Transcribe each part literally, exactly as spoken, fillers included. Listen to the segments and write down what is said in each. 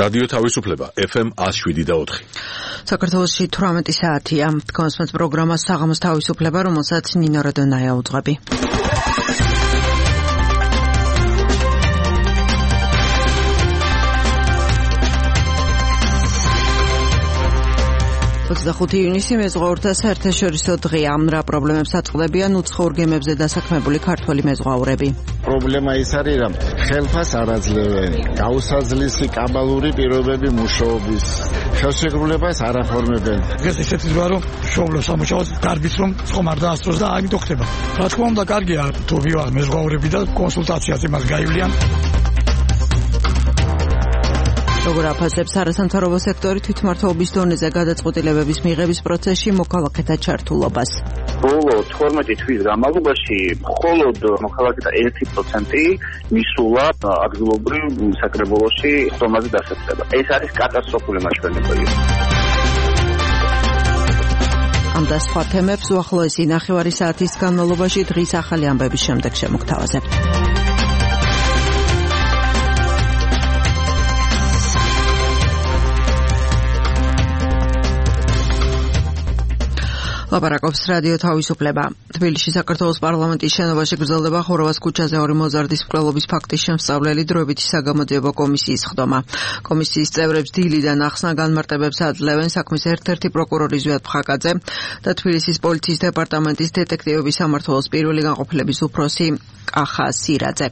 რადიო თავისუფლება ეფ ემ one oh seven და four. საქართველოში თვრამეტი საათია. Თქვენს პროგრამა საღამოს თავისუფლება, რომელსაც ნინო როდონაია უძღვები. ოცდახუთი ივნისი მეზღვაურთა საერთაშორისო დღეა. რა პრობლემებს აწყდებიან უცხოურ გემებზე დასაქმებული ქართველი მეზღვაურები? პრობლემა ის არის, რომ ხელფას არ აძლევენ, გაუსაძლისი კაბალური პირობები მუშაობის, ხელშეკრულებას არ აფორმებენ. დღეს ისეთი ძვა რომ მშობლო სამუშაოს გარბის რომ ხომ არ დაასწროს და ამიტომ ხდება. რა თქმა უნდა, კარგია თუ ვიყავ მეზღვაურები და კონსულტაციაზე მას გაივლიან. როგორ აფასებს არასამთავრობო სექტორი თვითმმართველობის დონეზე გადაწყვეტილებების მიღების პროცესში მოქალაქეთა ჩართულობას? ბოლო თორმეტი თვის განმავლობაში მხოლოდ მოქალაქეთა ერთი პროცენტი მისულა ადგილობრივ საკრებულოში ხომაზე დასაწყება. ეს არის კატასტროფული მაჩვენებელი. ამ და სხვა თემებს უახლოესი ნახევარი საათის განმავლობაში დღის ახალი ამბების შემდეგ შემოგთავაზებთ. ლაპარაკობს რადიო თავისუფლება. თბილისში საქართველოს პარლამენტის შენობაში გრძელდება ხოროვას ქუჩაზე ორი მოზარდის მკვლელობის ფაქტის შემსწავლელი დროებითი საგამოძიებო კომისიის ხდომა. კომისიის წევრებს დილიდან ახსნა განმარტებებს აძლევენ საქმის ერთ-ერთი პროკურორი ზვიად ფხაკაძე და თბილისის პოლიციის დეპარტამენტის დეტექტივების სამმართველოს პირველი განყოფილების უფროსი კახა სირაძე.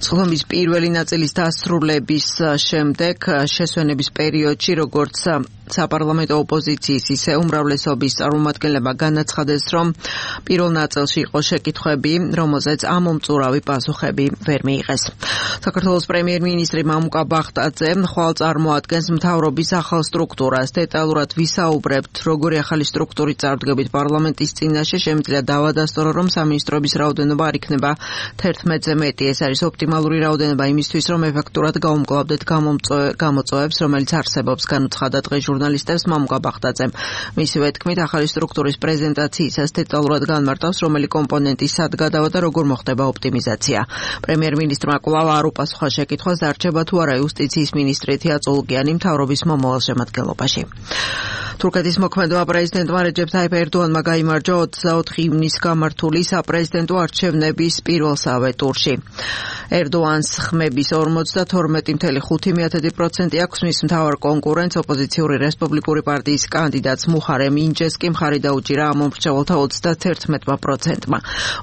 სხდომის პირველი ნაწილის დასრულების შემდეგ შესვენების პერიოდში როგორც საპარლამენტო ოპოზიციის ისე უმრავლესობის წარმომადგენლებმა განაცხადეს, რომ პირველ ნაწილში იყო შეკითხვები, რომელზეც ამომწურავი პასუხები ვერ მიიღეს. საქართველოს პრემიერ-მინისტრი მამუკა ბახტაძე ხვალ წარმოადგენს მთავრობის ახალ სტრუქტურას. დეტალურად ვისაუბრებთ, როგორი ახალი სტრუქტურით წარდგებით პარლამენტის წინაშე, შემიძლია დავადასტურო, რომ სამინისტროების რაოდენობა არ იქნება თერთმეტზე მეტი. ეს არის ოპტიმალური რაოდენობა იმისთვის, რომ ეფექტურად გაუმკლავდეთ გამოწვევებს, რომელიც არსებობს, განუცხადა დღეს ჟურნალისტებს მამუკა ბახტაძემ. მისივე თქმით, ახალი სტრუქტურის პრეზენტაციისას დეტალურად განმარტავს, რომელი კომპონენტი სად გადავა და როგორ მოხდება ოპტიმიზაცია. პრემიერ-მინისტრმა კვლავ არ უპასუხა შეკითხვას, დარჩება თუ არა იუსტიციის მინისტრი თია წულუკიანი მთავრობის მომავალ შემადგენლობაში. თურქეთის მოქმედმა პრეზიდენტმა რეჯეფ ტაიპ ერდოანმა გაიმარჯვა ოცდაოთხი ივნისს გამართული საპრეზიდენტო არჩევნების პირველსავე ტურში. ერდოანს ხმების ორმოცდათორმეტი კoma ხუთი პროცენტი აქვს, მის მთავარ კონკურენტს ოპოზიციური რესპუბლიკური პარტიის კანდიდატს მუხარემ ინჯეს კი მხარი დაუჭირა ამ მომრჩეველთა ოცდაათერთმეტი პროცენტმა.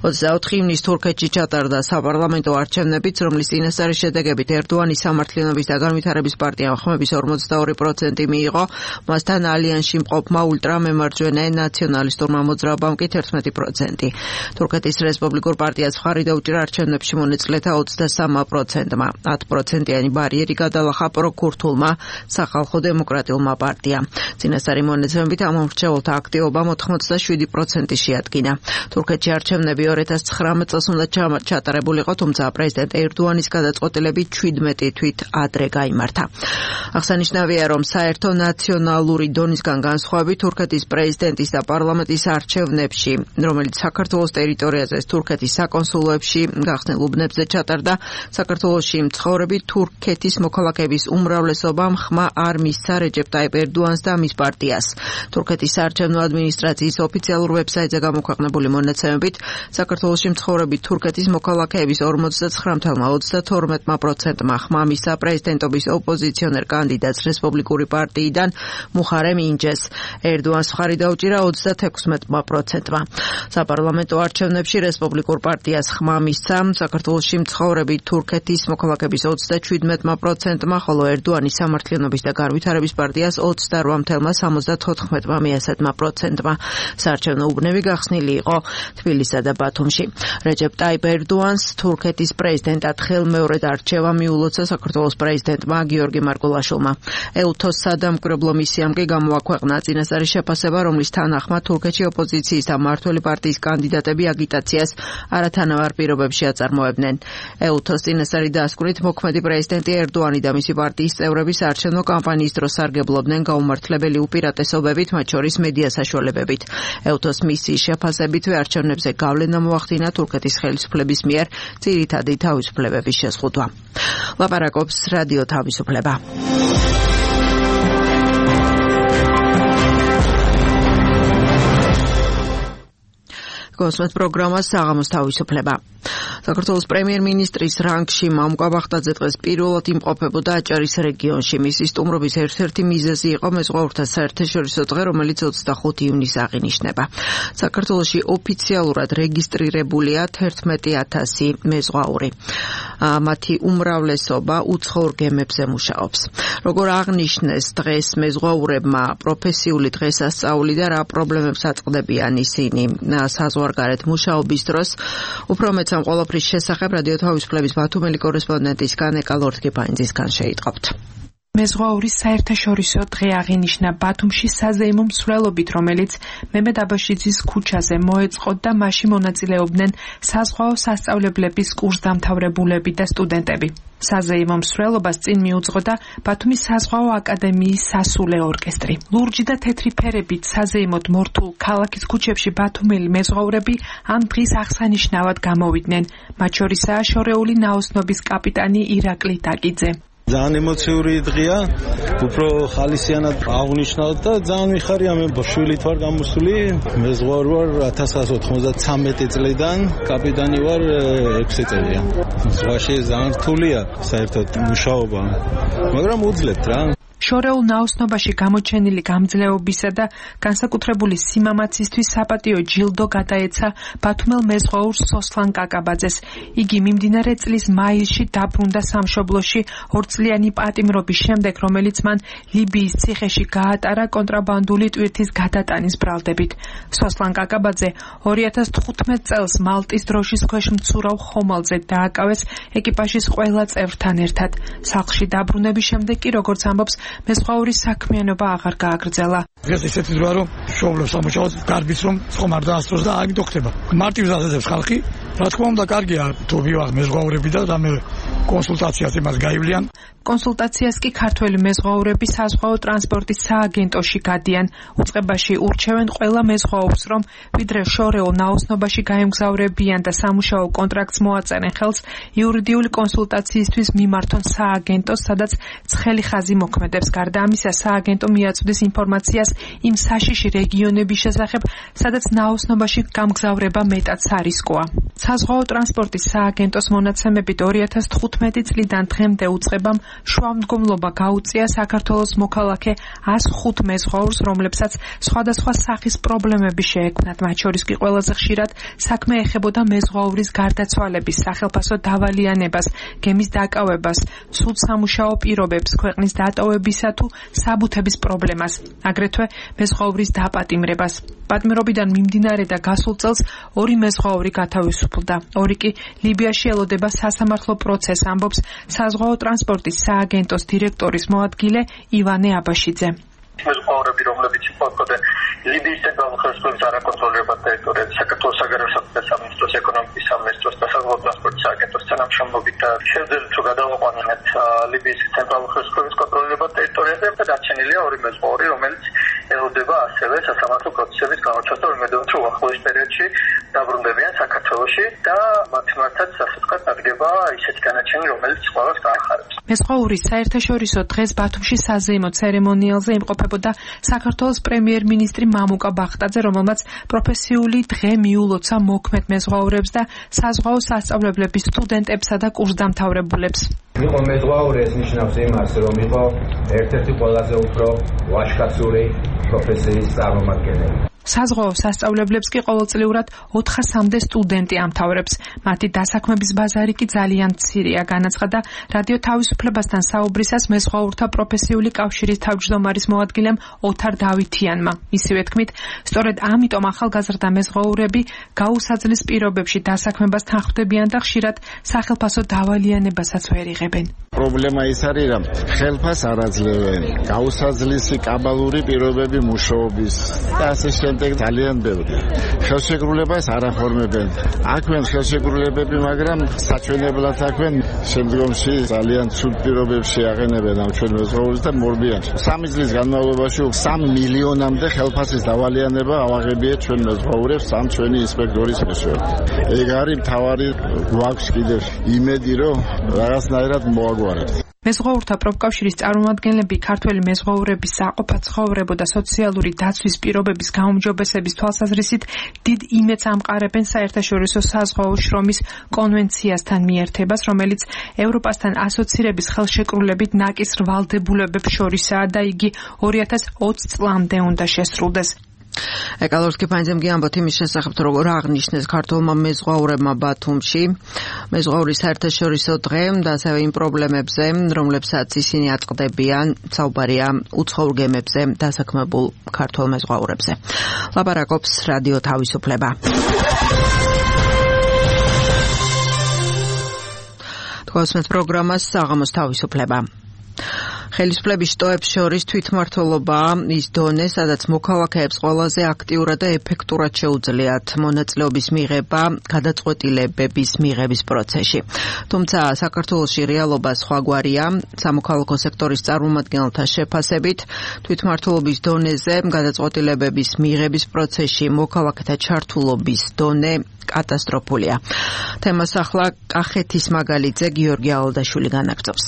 ოცდაოთხი ივნისს თურქეთში ჩატარდა საპარლამენტო არჩევნებიც, რომლის წინასწარი შედეგებით ერდოანის სამართლიანობის და განვითარების პარტიამ ხმების ორმოცდაორი პროცენტი მიიღო, მასთან ალიანსში მყოფმა ულტრამემარჯვენე ნაციონალისტურმა მოძრაობამ კი თერთმეტი პროცენტი. თურქეთის რესპუბლიკურ პარტიას მხარი დაუჭირა არჩევნებში მონაწილეთა ოცდასამი პროცენტმა. ათი პროცენტიანი ბარიერი გადალახა პროქურთულმა სახალხო დემოკრატიულმა პარტიამ. წინასწარი მონაცემებით ამ მომრჩეველთა აქტივობამ ოთხმოცდაშვიდი პროცენტი შეადგინა. თურქეთში არჩევნები ორი ათას ცხრამეტ წელს უნდა ჩატარებულიყო, თუმცა პრეზიდენტ ერდოანის გადაწყვეტილებით შვიდმეტი თვით ადრე გაიმართა. აღსანიშნავია, რომ საერთო ნაციონალური დონისგან განსხვავებით თურქეთის პრეზიდენტის და პარლამენტის არჩევნებში, რომელიც საქართველოს ტერიტორიაზე თურქეთის საკონსულოებში გახსნილ უბნებზე ჩატარდა, საქართველოში მცხოვრები თურქეთის მოქალაქეების უმრავლესობამ ხმა არ მისცა რეჯეფ ტაიპ ერდოანს და მის პარტიას. თურქეთის საარჩევნო ადმინისტრაციის ოფიციალურ ვებსაიტზე გამოქვეყნებული მონაცემებით, საქართველოში მცხოვრები თურქეთის მოქალაქეების ორმოცდაცხრამი კoma ოცდათორმეტი პროცენტმა ხმა მისცა პრეზიდენტობის ოპოზიციონერ კანდიდატს რესპუბლიკური პარტიიდან მუხარემ ინჯეს. ერდოანს მხარი დაუჭირა ოცდათექვსმეტი პროცენტმა. საპარლამენტო არჩევნებში რესპუბლიკურ პარტიას ხმა მისცა საქართველოში მცხოვრები თურქეთის მოქალაქეების ოცდაშვიდმეტი პროცენტმა, ხოლო ერდოანის სამართლიანობის და განვითარების პარტიას ოცდაოთხი კoma სამოცდათოთხმეტი პროცენტმა. საარჩევნო უბნები გახსნილი იყო თბილისსა და ბათუმში. რეჯეფ ტაიპ ერდოანს თურქეთის პრეზიდენტად ხელმეორედ არჩევა მიულოცა საქართველოს პრეზიდენტმა გიორგი მარგულაშვილმა. ეუთოს სადამკვირვებლო მისიამ კი გამოაქვეყნა წინასწარი შეფასება, რომლის თანახმად თურქეთში ოპოზიციის და მმართველი პარტიის კანდიდატები აგიტაციას არათანაბარ პირობებში აწარმოებდნენ. ეუთოს წინასწარი დასკვნით მოქმედი პრეზიდენტი ერდოანი და მისი პარტიის წევრები საარჩევნო კამპანიის დროს სარგებლობდნენ გაუმართლებელი უპირატესობებით, მათ შორის მედია საშუალებებით. ეუთოს მისიის შეფასებით არჩევნებზე გავლენა მოახდინა თურქეთის ხელისუფლების მიერ ძირითადი თავისუფლებების შეზღუდვა. ლაპარაკობს რადიო თავისუფლება. გოსმეთ პროგრამას საღამოს თავისუფლება. საქართველოს პრემიერ-მინისტრის რანგში მამუკა ბახტაძე დღეს პირველად იმყოფებოდა აჭარის რეგიონში. მისი სტუმრობის ერთ-ერთი მიზეზი იყო მეზღვაურთა საერთაშორისო დღე, რომელიც ოცდახუთი ივნისს აღინიშნება. საქართველოში ოფიციალურად რეგისტრირებულია თერთმეტი ათასი მეზღვაური. მათი უმრავლესობა უცხოურ გემებზე მუშაობს. როგორ აღნიშნეს დღეს მეზღვაურებმა პროფესიული დღესასწაული და რა პრობლემებს აწყდებიან ისინი საზღვარგარეთ მუშაობის დროს, უფრო მეტ ამ ყველაფრის შესახებ რადიო თავისუფლების ბათუმელი კორესპონდენტის განეკა ლორთქიფანიძისგან შეიტყობთ. მეზღვაურის საერთაშორისო დღე აღინიშნა ბათუმში საზეიმო მსვლელობით, რომელიც მემედ აბაშიძის ქუჩაზე მოეწყო და მასში მონაწილეობდნენ საზღვაო სასწავლებლების კურსდამთავრებულები და სტუდენტები. საზეიმო მსვლელობას წინ მიუძღოდა ბათუმის საზღვაო აკადემიის სასულე ორკესტრი. ლურჯი და თეთრი ფერებით საზეიმოდ მორთულ ქალაქის ქუჩებში ბათუმელი მეზღვაურები ამ დღის აღსანიშნავად გამოვიდნენ. მათ შორისაა შორეული ნაოსნობის კაპიტანი ირაკლი დაკიძე. ძალიან ემოციური დღეა, უფრო ხალისიანად აღნიშნავთ და ძალიან მიხარია, მე შვილი ვარ გამოსული, მეზღვაური ვარ ათას ცხრაასი ოთხმოცდათვრამეტი წლიდან, კაპიტანი ვარ ექვსი წელია. ზღვაში ძალიან რთულია საერთოდ მუშაობა, მაგრამ უძლებთ რა. შორეულ ნაოსნობაში გამოჩენილი გამძლეობისა და განსაკუთრებული სიმამაცისთვის საპატიო ჯილდო გადაეცა ბათუმელ მეზღვაურს სოსლან კაკაბაძეს. იგი მიმდინარე წლის მაისში დაბრუნდა სამშობლოში ორწლიანი პატიმრობის შემდეგ, რომელიც მან ლიბიის ციხეში გაატარა კონტრაბანდული ტვირთის გადატანის ბრალდებით. სოსლან კაკაბაძე ორი ათას თხუთმეტ წელს მალტის დროშის ქვეშ მცურავ ხომალდზე დააკავეს ეკიპაჟის ყველა წევრთან ერთად. სახლში დაბრუნების შემდეგ კი, როგორც ამბობს, მეზღვაურის საქმიანობა აღარ გააგრძელა. დღეს ისეთი დროა, რომ შოვლებს სამუშაოს, გარბის რომ ხომარ დაასწროს და აგი დოქდება. მარტივს აზრებს ხალხი, რა თქმა უნდა, კარგია თუ ვიღარ მეზღვაურები და რამე კონსულტაციას იმას გაივლიან. კონსულტაციას კი ქართველი მეზღვაურები საზღვაო ტრანსპორტის სააგენტოში გადიან. უწყებაში ურჩევენ ყველა მეზღვაურს, რომ ვიდრე შორეულ ნაოსნობაში გაემგზავრებიან და სამუშაო კონტრაქტს მოაწერენ ხელს, იურიდიული კონსულტაციისთვის მიმართონ სააგენტოს, სადაც ცხელი ხაზი მოქმედებს. გარდა ამისა, სააგენტო მიაწვდის ინფორმაციას იმ საშიში რეგიონების შესახებ, სადაც ნაოსნობაში გამგზავრება მეტად სარისკოა. საზღვაო ტრანსპორტის სააგენტოს მონაცემებით ორი ათას თხუთმეტი წლიდან დღემდე უწყებამ შუამდგომლობა გაუწია საქართველოს მოქალაქე ას ხუთ მეზღვაურს, რომლებსაც სხვადასხვა სახის პრობლემები შეექმნათ. მათ შორის კი ყველაზე ხშირად საქმე ეხებოდა მეზღვაურის გარდაცვალების, სახელფასო დავალიანებას, გემის დაკავებას, სულ სამუშაო პირობებს, ქვეყნის დატოვებისა თუ საბუთების პრობლემას, აგრეთვე მეზღვაურის დაპატიმრებას. პატიმრობიდან მიმდინარე და გასულ წელს ორი მეზღვაური გათავისუფლდა. ორი კი ლიბიაში ელოდება სასამართლო პროცესს, ამბობს საზღვაო ტრანსპორტის სააგენტოს დირექტორის მოადგილე ივანე აბაშიძე. მეზღვაურები, რომლებიც იმყოფებოდნენ ლიბიის ცენტრალურ ხელისუფლების არაკონტროლირებად ტერიტორიაზე, საქართველოს საგარეო საქმეთა სამინისტროს, ეკონომიკის სამინისტროს და საზღვაო ტრანსპორტის სააგენტოს თანამშრომლობით და შევძელით თუ გადავაყვანოთ ლიბიის ცენტრალურ ხელისუფლების კონტროლირებად ტერიტორიაზე და დარჩენილია ორი მეზღვაური, რომელიც ელოდება ასევე სასამართლო პროცესების გამოჩვენას, რომ თუ ახლოს პერიოდში დაბრუნდებიან საქართველოში და მათ მიმართაც სასწრაფოდ დადგება ისეთი განაჩენი, რომელიც ყველას გაახარებს. მეზღვაურის საერთაშორისო დღეს ბათუმში საზეიმო ცერემონიალზე იმყოფებოდა საქართველოს პრემიერ-მინისტრი მამუკა ბახტაძე, რომელმაც პროფესიული დღე მიულოცა მოქმედ მეზღვაურებს და საზღვაო სასწავლებლების სტუდენტებსა და კურსდამთავრებულებს. იყო მეზღვაური, ეს ნიშნავს იმას, რომ იყო ერთ-ერთი ყველაზე უფრო ვაჟკაცური პროფესიის წარმომადგენელი. საზღვაო სასწავლებლებს კი ყოველწლიურად ოთხასამდე სტუდენტი ამთავრებს. მათი დასაქმების ბაზარი კი ძალიან მცირეა, განაცხადა რადიო თავისუფლებასთან საუბრისას მეზღვაურთა პროფესიული კავშირის თავმჯდომარის მოადგილემ ოთარ დავითიანმა. ისივე თქმით, სწორედ ამიტომ ახალგაზრდა მეზღვაურები გაუსაძლის პირობებში დასაქმებას თანხმდებიან და ხშირად სახელფასო დავალიანებასაც ვერ იღებენ. პრობლემა ის არის, რომ ხელფას არ აძლევენ, გაუსაძლისი კაბალური პირობები მუშაობის და ასე შემდეგ ძალიან ბევრი. ხელშეკრულებას არ აფორმებენ. აქვენ ხელშეკრულებები, მაგრამ საჩვენებლად აქვენ, შემდგომში ძალიან ცუდ პირობებში აყენებენ ამ ჩვენ მეზღვაურს და მორბიან. სამი წლის განმავლობაში სამი მილიონამდე ხელფასის დავალიანება ავაღებიეთ ჩვენ მეზღვაურებს ამ ჩვენი ინსპექტორის მეშვეობით. ეგ არის მთავარი გვაქვს კიდევ იმედი, რომ რაღაცნაირად მოაგვარებთ. მეზღვაურთა პროფკავშირის წარმომადგენლები ქართველი მეზღვაურების საყოფაცხოვრებო და სოციალური დაცვის პირობების გაუმჯობესების თვალსაზრისით დიდ იმედს ამყარებენ საერთაშორისო საზღვაო შრომის კონვენციასთან მიერთებას, რომელიც ევროპასთან ასოცირების ხელშეკრულებით ნაკის ვალდებულებებს შორისაა და იგი ორი ათას ოცი წლამდე უნდა შესრულდეს. ეკალორსკი ფაინზემ გიამბოთ იმის შესახებ, რომ რა აღნიშნეს ქართულმა მეზღვაურებმა ბათუმში მეზღვაურის საერთაშორისო დღე და ასევე იმ პრობლემებზე, რომლებსაც ისინი აწყდებიან, საუბარია უცხოურ გემებზე დასაქმებულ ქართულ მეზღვაურებზე. ლაპარაკობს რადიო თავისუფლება. თქვენს პროგრამას საღამოს თავისუფლება. ხელისუფლების შტოებს შორის თვითმმართველობაა ის დონე, სადაც მოქალაქეებს ყველაზე აქტიურად და ეფექტურად შეუძლიათ მონაწილეობის მიღება გადაწყვეტილებების მიღების პროცესში. თუმცა საქართველოში რეალობა სხვაგვარია. სამოქალაქო სექტორის წარმომადგენელთა შეფასებით თვითმმართველობის დონეზე გადაწყვეტილებების მიღების პროცესში მოქალაქეთა ჩართულობის დონე კატასტროფულია. თემას ახლა კახეთის მაგალითზე გიორგი ალდაშვილი განაგრძობს.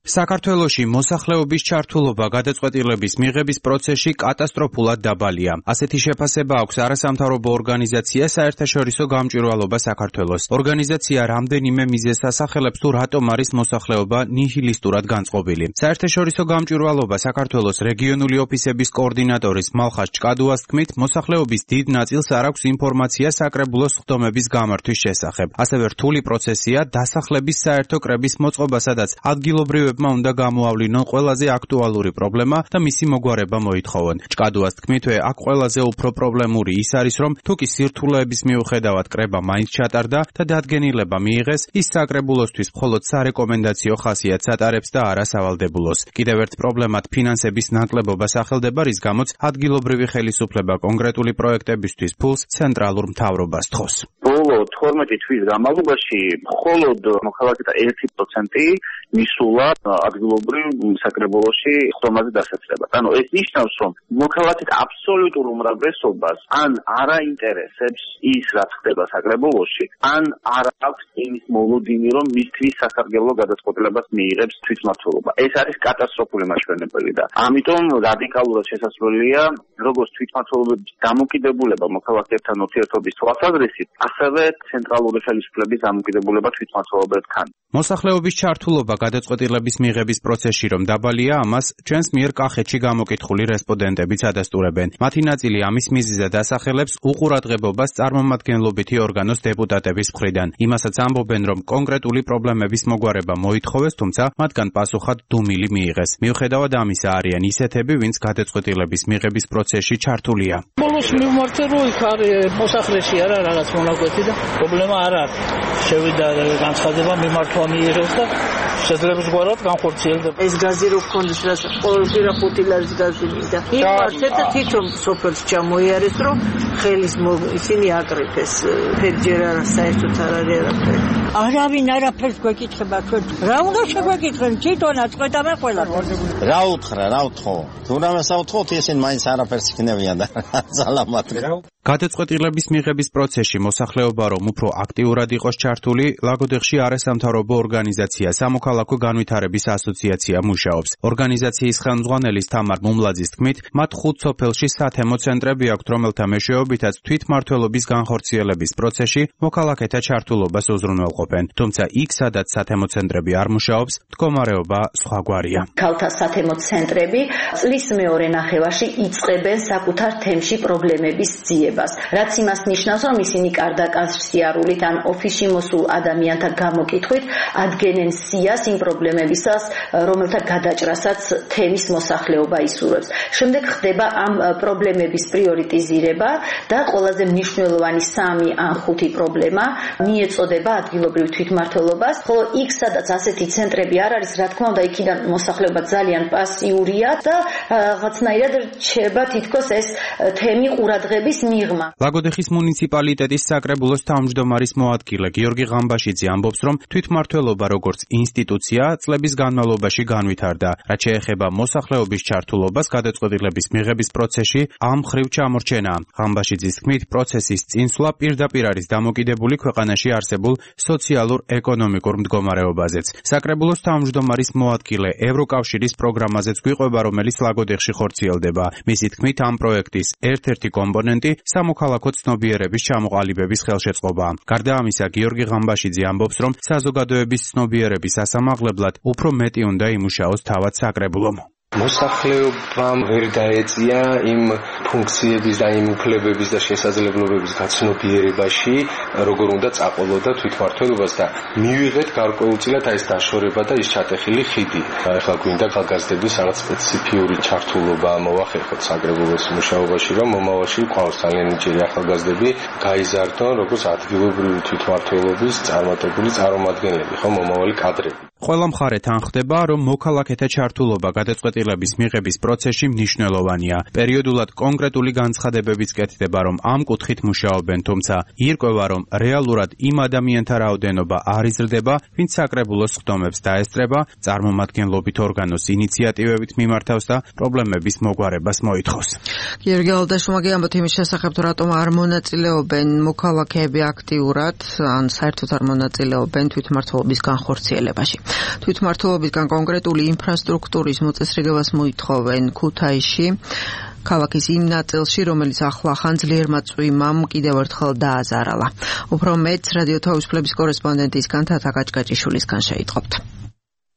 საქართველოში მოსახლეობის ჩართულობა გადაწყვეტილების მიღების პროცესში კატასტროფულად დაბალია. ასეთი შეფასება აქვს არასამთავრობო ორგანიზაცია საერთაშორისო გამჭვირვალობა საქართველოს. ორგანიზაცია რამდენიმე მიზეზს ასახელებს თუ რატომ არის მოსახლეობა ნიჰილისტურად განწყობილი. საერთაშორისო გამჭვირვალობა საქართველოს რეგიონული ოფისების კოორდინატორის მალხაზ ჭკადუას თქმით, მოსახლეობის დიდ ნაწილს არ აქვს ინფორმაცია საკრებულოს სხდომების გამართვის შესახებ. ასევე რთული პროცესია დასახლების საერთო კრების მოწყობა, სადაც ადგილობრივი უნდა გამოავლინონ ყველაზე აქტუალური პრობლემა და მისი მოგვარება მოითხოვონ. ჭკადუას თქმითვე, აქ ყველაზე უფრო პრობლემური ის არის, რომ თუ კი სირთულეების მიუხედავად კრება მაინც ჩატარდა და დადგენილება მიიღეს, ის საკრებულოსთვის მხოლოდ სარეკომენდაციო ხასიათს ატარებს და არა სავალდებულოს. კიდევ ერთ პრობლემად ფინანსების ნაკლებობა სახელდება, რის გამოც ადგილობრივი ხელისუფლება კონკრეტული პროექტებისთვის ფულს ცენტრალურ მთავრობას თხოვს. ბოლო თორმეტი თვის განმავლობაში მხოლოდ მოქალაქეთა ერთი პროცენტი მისულა ადგილობრივ საკრებულოში ხდომაზე დასაწყებად. ანუ ეს ნიშნავს, რომ მოქალაქეთა აბსოლუტურ უმრავლესობას ან არ აინტერესებს ის, რაც ხდება საკრებულოში, ან არ აქვს იმის მოლოდინი, რომ მისთვის სასარგებლო გადაწყვეტილებას მიიღებს თვითმმართველობა. ეს არის კატასტროფული მაჩვენებელი და ამიტომ რადიკალურად შესაძლებელია, როგორც თვითმმართველობის დამოკიდებულება მოქალაქეებთან ურთიერთობის თვალსაზრისით, ასევე ცენტრალური ხელისუფლების დამოკიდებულება თვითმმართველობებთან. მოსახლეობის ჩართულობა გადაწყვეტილების მიღების პროცესში რომ დაბალია, ამას ჩვენს მიერ კახეთში გამოკითხული რესპონდენტებიც ადასტურებენ. მათი ნაწილი ამის მიზეზად ასახელებს უყურადღებობას წარმომადგენლობითი ორგანოს დეპუტატების მხრიდან. იმასაც ამბობენ, რომ კონკრეტული პრობლემების მოგვარება მოითხოვეს, თუმცა მათგან პასუხად დუმილი მიიღეს. მიუხედავად ამისა, არიან ისეთები, ვინც გადაწყვეტილების მიღების პროცესში ჩართულია. ბოლოს მივმართე, რომ იქ არის მოსახლეში არა რაღაც მონაკვეთი და პრობლემა არ არის. შევიდა განცხადება მიმართვა მიიღეს და შეძლებს გვარად განხორციელდება. ეს გაზი რო გქონდეს, რაც ყოველგვარ ხუთი ლარის გაზი მინდა. იმართეთ და თვითონ სოფელს ჩამოიარეს, რომ ხელის ისინი აკრიფეს. ფერჯერ არა საერთოდ არ არის არაფერი. არავინ არაფერს გვეკითხება ჩვენ. რა უნდა შეგვეკითხენ? თვითონაც ყვეტავენ ყველაფერს. რა უთხრა, რა უთხოვ? თუ რამე საუთხოვთ, ისინი მაინც არაფერს იქნებიან და ძალამატრი. გადაწყვეტილების მიღების პროცესში მოსახლეობა რომ უფრო აქტიურად იყოს ჩართული, ლაგოდეხში არასამთავრობო ორგანიზაცია სამოქალაქო განვითარების ასოციაცია მუშაობს. ორგანიზაციის ხელმძღვანელის თამარ მუმლაძის თქმით, მათ ხუთ სოფელში სათემო ცენტრები აქვთ, რომელთა მეშვეობითაც თვითმმართველობის განხორციელების პროცესში მოქალაქეთა ჩართულობას უზრუნველყოფენ. თუმცა იქ, სადაც სათემო ცენტრები არ მუშაობს, მდგომარეობა სხვაგვარია. ქალთა სათემო ცენტრები წლის მეორე ნახევარში იწყებენ საკუთარ თემში პრობლემების ძიებას, რაც იმას ნიშნავს, რომ ისინი კარდაკარსიარულით ან ოფისში მოსულ ადამიანთა გამოკითხვით ადგენენ სიას იმ პრობლემებისას, რომელთა გადაჭრასაც თემის მოსახლეობა ისურვებს. შემდეგ ხდება ამ პრობლემების პრიორიტიზირება და ყველაზე მნიშვნელოვანი სამი ან ხუთი პრობლემა მიეწოდება ადგილობრივ თვითმმართველობას, ხოლო იქ, სადაც ასეთი ცენტრები არ არის, რა თქმა უნდა, იქიდან მოსახლეობა ძალიან პასიურია და რაღაცნაირად რჩება თითქოს ეს თემი ყურადღების მიღმა. ლაგოდეხის მუნიციპალიტეტის საკრებულოს საკრებულოს თავმჯდომარის მოადგილე გიორგი ღამბაშიძე ამბობს, რომ თვითმმართველობა როგორც ინსტიტუცია წლების განმავლობაში განვითარდა. რაც შეეხება მოსახლეობის ჩართულობას გადაწყვეტილების მიღების პროცესში, ამ მხრივ ჩამორჩენა. ღამბაშიძის თქმით, პროცესის წინსვლა პირდაპირ არის დამოკიდებული ქვეყანაში არსებულ სოციალურ-ეკონომიკურ მდგომარეობაზეც. საკრებულოს თავმჯდომარის მოადგილე ევროკავშირის პროგრამაზეც გვიყვება, რომელიც ლაგოდეხში ხორციელდება. მისი თქმით, ამ პროექტის ერთ-ერთი კომპონენტი სამოქალაქო ცნობიერების ჩამოყალიბების ხელშეწყობა. გარდა ამისა, გიორგი ღამბაშიძე ამბობს, რომ საზოგადოების ცნობიერების ასამაღლებლად უფრო მეტი უნდა იმუშაოს თავად საკრებულომ. მოსახლეობამ ვერ დაეწია იმ ფუნქციების და იმ უფლებების და შესაძლებლობების გაცნობიერებაში, როგორ უნდა წაყოლოდა თვითმმართველობას და მივიღეთ გარკვეულწილად ეს დაშორება და ის ჩატეხილი ხიდი. ახლა გვინდა გაგაზრდების რაღაც სპეციფიური ჩართულობა მოახერხოთ საკრებულოს მუშაობაში, რომ მომავალში ყავს ძალიან ნიჭიერი ახალგაზრდები გაიზარდონ როგორც ადგილობრივი თვითმმართველობის წარმატებული წარმომადგენლები, ხო, მომავალი კადრები. ყველა მხარე თანხდება, რომ მოქალაქეთა ჩართულობა გადაწყვეტილების მიღების პროცესში მნიშვნელოვანია. პერიოდულად კონკრეტული განცხადებებიც კეთდება, რომ ამ კუთხით მუშაობენ, თუმცა ირკვევა, რომ რეალურად იმ ადამიანთა რაოდენობა არ იზრდება, ვინც საკრებულოს ხდომებს დაესწრება, წარმომადგენლობით ორგანოს ინიციატივებით მიმართავს და პრობლემების მოგვარებას მოითხოვს. გიორგი ალდაშუმა გიამბობთ იმის შესახებ, თუ რატომ არ მონაწილეობენ მოქალაქეები აქტიურად, ან საერთოდ არ მონაწილეობენ თვითმმართველობის განხორციელებაში. თვითმმართველობისგან კონკრეტული ინფრასტრუქტურის მოწესრიგებას მოითხოვენ ქუთაისში, ქალაქის იმ ნაწილში, რომელიც ახლა ხანძლიერმა წვიმამ კიდევ ერთხელ დააზარალა. უფრო მეტს რადიო თავისუფლების კორესპონდენტისგან თათა გაჭგაჭიშვილისგან შეიტყობთ.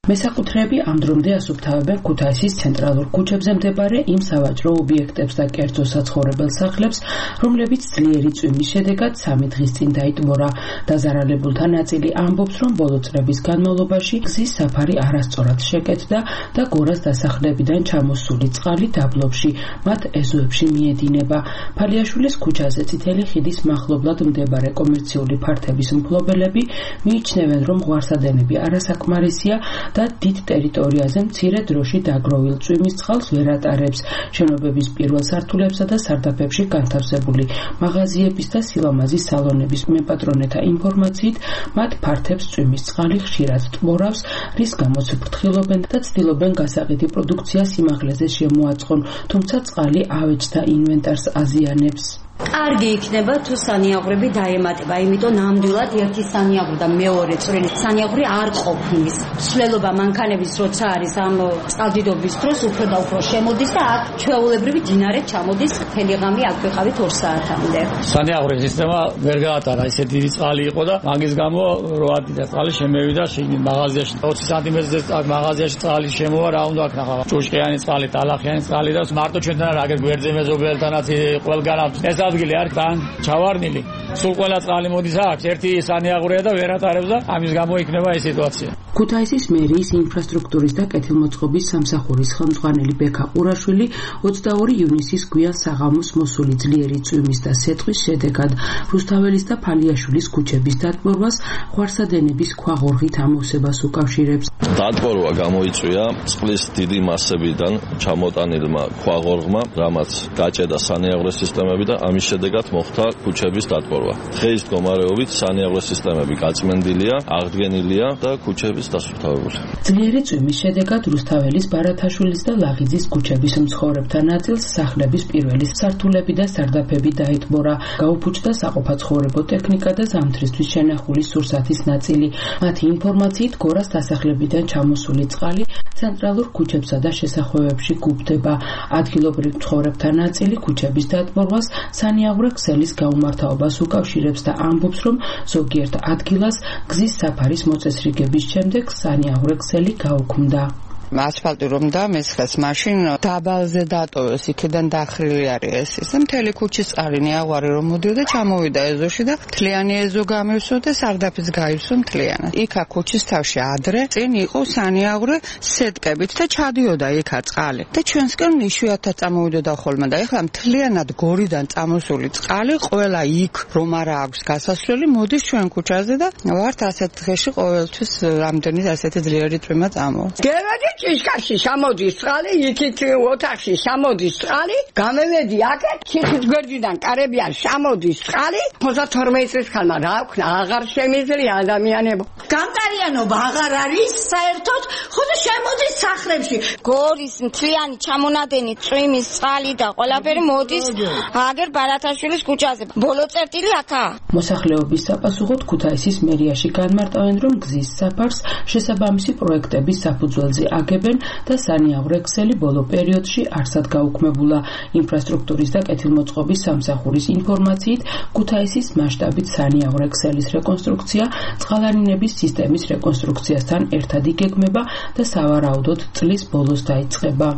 მესაკუთრეები ამ დრომდე ასუფთავებენ ქუთაისის ცენტრალურ ქუჩებზე მდებარე იმ სავაჭრო ობიექტებს და კერძო საცხოვრებელ სახლებს, რომლებიც ძლიერი წვიმის შედეგად სამი დღის წინ დაიტბორა. დაზარალებულთა ნაწილი ამბობს, რომ ბოლო წლების განმავლობაში გზის საფარი არასწორად შეკეთდა და გორას დასახლებიდან ჩამოსული წყალი დაბლობში, მათ ეზოებში მიედინება. ფალიაშვილის ქუჩაზე წითელი ხიდის მახლობლად მდებარე კომერციული ფართების მფლობელები მიიჩნევენ, რომ ღვარსადენები არასაკმარისია და დიდ ტერიტორიაზე მცირე დროში დაგროვილ წვიმის წყალს ვერ ატარებს. შენობების პირველ სართულებსა და სარდაფებში განთავსებული მაღაზიების და სილამაზის სალონების მეპატრონეთა ინფორმაციით, მათ ფართებს წვიმის წყალი ხშირად ტბორავს, რის გამოც ფრთხილობენ და ცდილობენ გასაყიდი პროდუქცია სიმაღლეზე შემოაწყონ, თუმცა წყალი ავეჯთა ინვენტარს აზიანებს. კარგი იქნება თუ სანიაღვრები დაემატება, იმიტომ ნამდვილად ერთი სანიაღვრი და მეორე წვრილი სანიაღვრი არ ყოფნის. ცვლილობა მანქანების როცა არის ამ წყალდიდობის დროს უფრო და უფრო შემოდის და აქ ჩვეულებრივი დინარე ჩამოდის მთელი ღამე აქ ვიყავით ორ საათამდე. სანიაღვრის სისტემა ვერ გაატარა, ისე დიდი წყალი იყო და მაგის გამო რო ადიდა წყალი შემევიდა შიგნით მაღაზიაში. ოცი სანტიმეტრზე მაღაზიაში წყალი შემოვა, რა უნდა აქ ნახავ. ჭუშკიანი წყალი, ტალახიანი წყალი და მარტო ჩვენთან არ აგერ გვერდზე მეზობელთანაც ყველგან ეს ადგილი არ თან ჩავარნილი. სულ ყველა წყალი მოდის აქ, ერთი სანიაღვრია და ვერ ატარებს და ამის გამო იქნება ეს სიტუაცია. ქუთაისის მერიის ინფრასტრუქტურის და კეთილმოწყობის სამსახურის ხელმძღვანელი ბექა ყურაშვილი ოცდაორი ივნისის გვიან საღამოს მოსული ძლიერი წვიმის და სეტყვის შედეგად რუსთაველის და ფალიაშვილის ქუჩების დატბორვას ღვარსადენების ქვაღორღით ამოვსებას უკავშირებს. დატბორვა გამოიწვია წყლის დიდი მასებიდან ჩამოტანილმა ქვაღორღმა, რამაც გაჭედა სანიაღვრე სისტემები და ამის შედეგად მოხდა ქუჩების დატბორვა. დღეის მდგომარეობით სანიაღვრე სისტემები გაწმენდილია, აღდგენილია და ქუჩების დასუფთავებული. ძლიერი წვიმის შედეგად რუსთაველის, ბარათაშვილის და ლაღიძის ქუჩების მცხოვრებთა ნაწილს სახლების პირველი სართულები და სარდაფები დაიტბორა. გაუფუჭდა საყოფაცხოვრებო ტექნიკა და ზამთრისთვის შენახული სურსათის ნაწილი. მათი ინფორმაციით გორას დასახლებიდან ჩამოსული წყალი ცენტრალურ ქუჩებსა და შესახვევებში გუბდება. ადგილობრივ მცხოვრებთა ნაწილი ქუჩების დატბორვას სანიაღვრე ქსელის გაუმართავობას უკავშირებს და ამბობს, რომ ზოგიერთ ადგილას გზის საფარის მოწესრიგების შემდეგ სანიაღვრე ქსელი გაუქმდა. ასფალტი რომ დამესხეს, მაშინ დაბალზე დატოვეს, იქიდან დახრილი არის ეს ის. მთელი ქუჩის წყალი ნიაღვარი რომ მოდიოდა, ჩამოვიდა ეზოში და მთლიანი ეზო გამივსო და სარდაფიც გაივსო მთლიანად. იქა ქუჩის თავში ადრე წინ იყო სანიაღვრე სეტკებით და ჩადიოდა იქა წყალი. და ჩვენსკენ იშვიათად წამოვიდოდა ხოლმე და ეხლა მთლიანად გორიდან წამოსული წყალი ყველა იქ რომ არა აქვს გასასვლელი, მოდის ჩვენ ქუჩაზე და ვართ ასეთ დღეში ყოველთვის რამდენი ასეთი ძლიერი წვიმა წამოვა. ჭიშკარში შემოდის წყალი, იქით ოთახში შემოდის წყალი, გამევედი აქეთ, ციხის გვერდიდან კარებიან შემოდის წყალი, ოცდათორმეტი წლის ხალმა რა ვქნა, აღარ შემიძლია ადამიანებო. გამტარიანობა აღარ არის საერთოდ, ხოდა შემოდის სახლებში. გორის მთლიანი ჩამონადენი წვიმის წყალი და ყველაფერი მოდის აგერ ბარათაშვილის ქუჩაზე. ბოლო წერტილი აქაა. მოსახლეობის საპასუხოდ ქუთაისის მერიაში განმარტავენ, რომ გზის საფარს შესაბამისი პროექტების საფუძველზე აგებენ და სანიაღვრე ქსელი ბოლო პერიოდში არსად გაუქმებულა. ინფრასტრუქტურის და კეთილმოწყობის სამსახურის ინფორმაციით, ქუთაისის მასშტაბით სანიაღვრე ქსელის რეკონსტრუქცია წყალარინების სისტემის რეკონსტრუქციასთან ერთად იგეგმება და სავარაუდოდ წლის ბოლოს დაიწყება.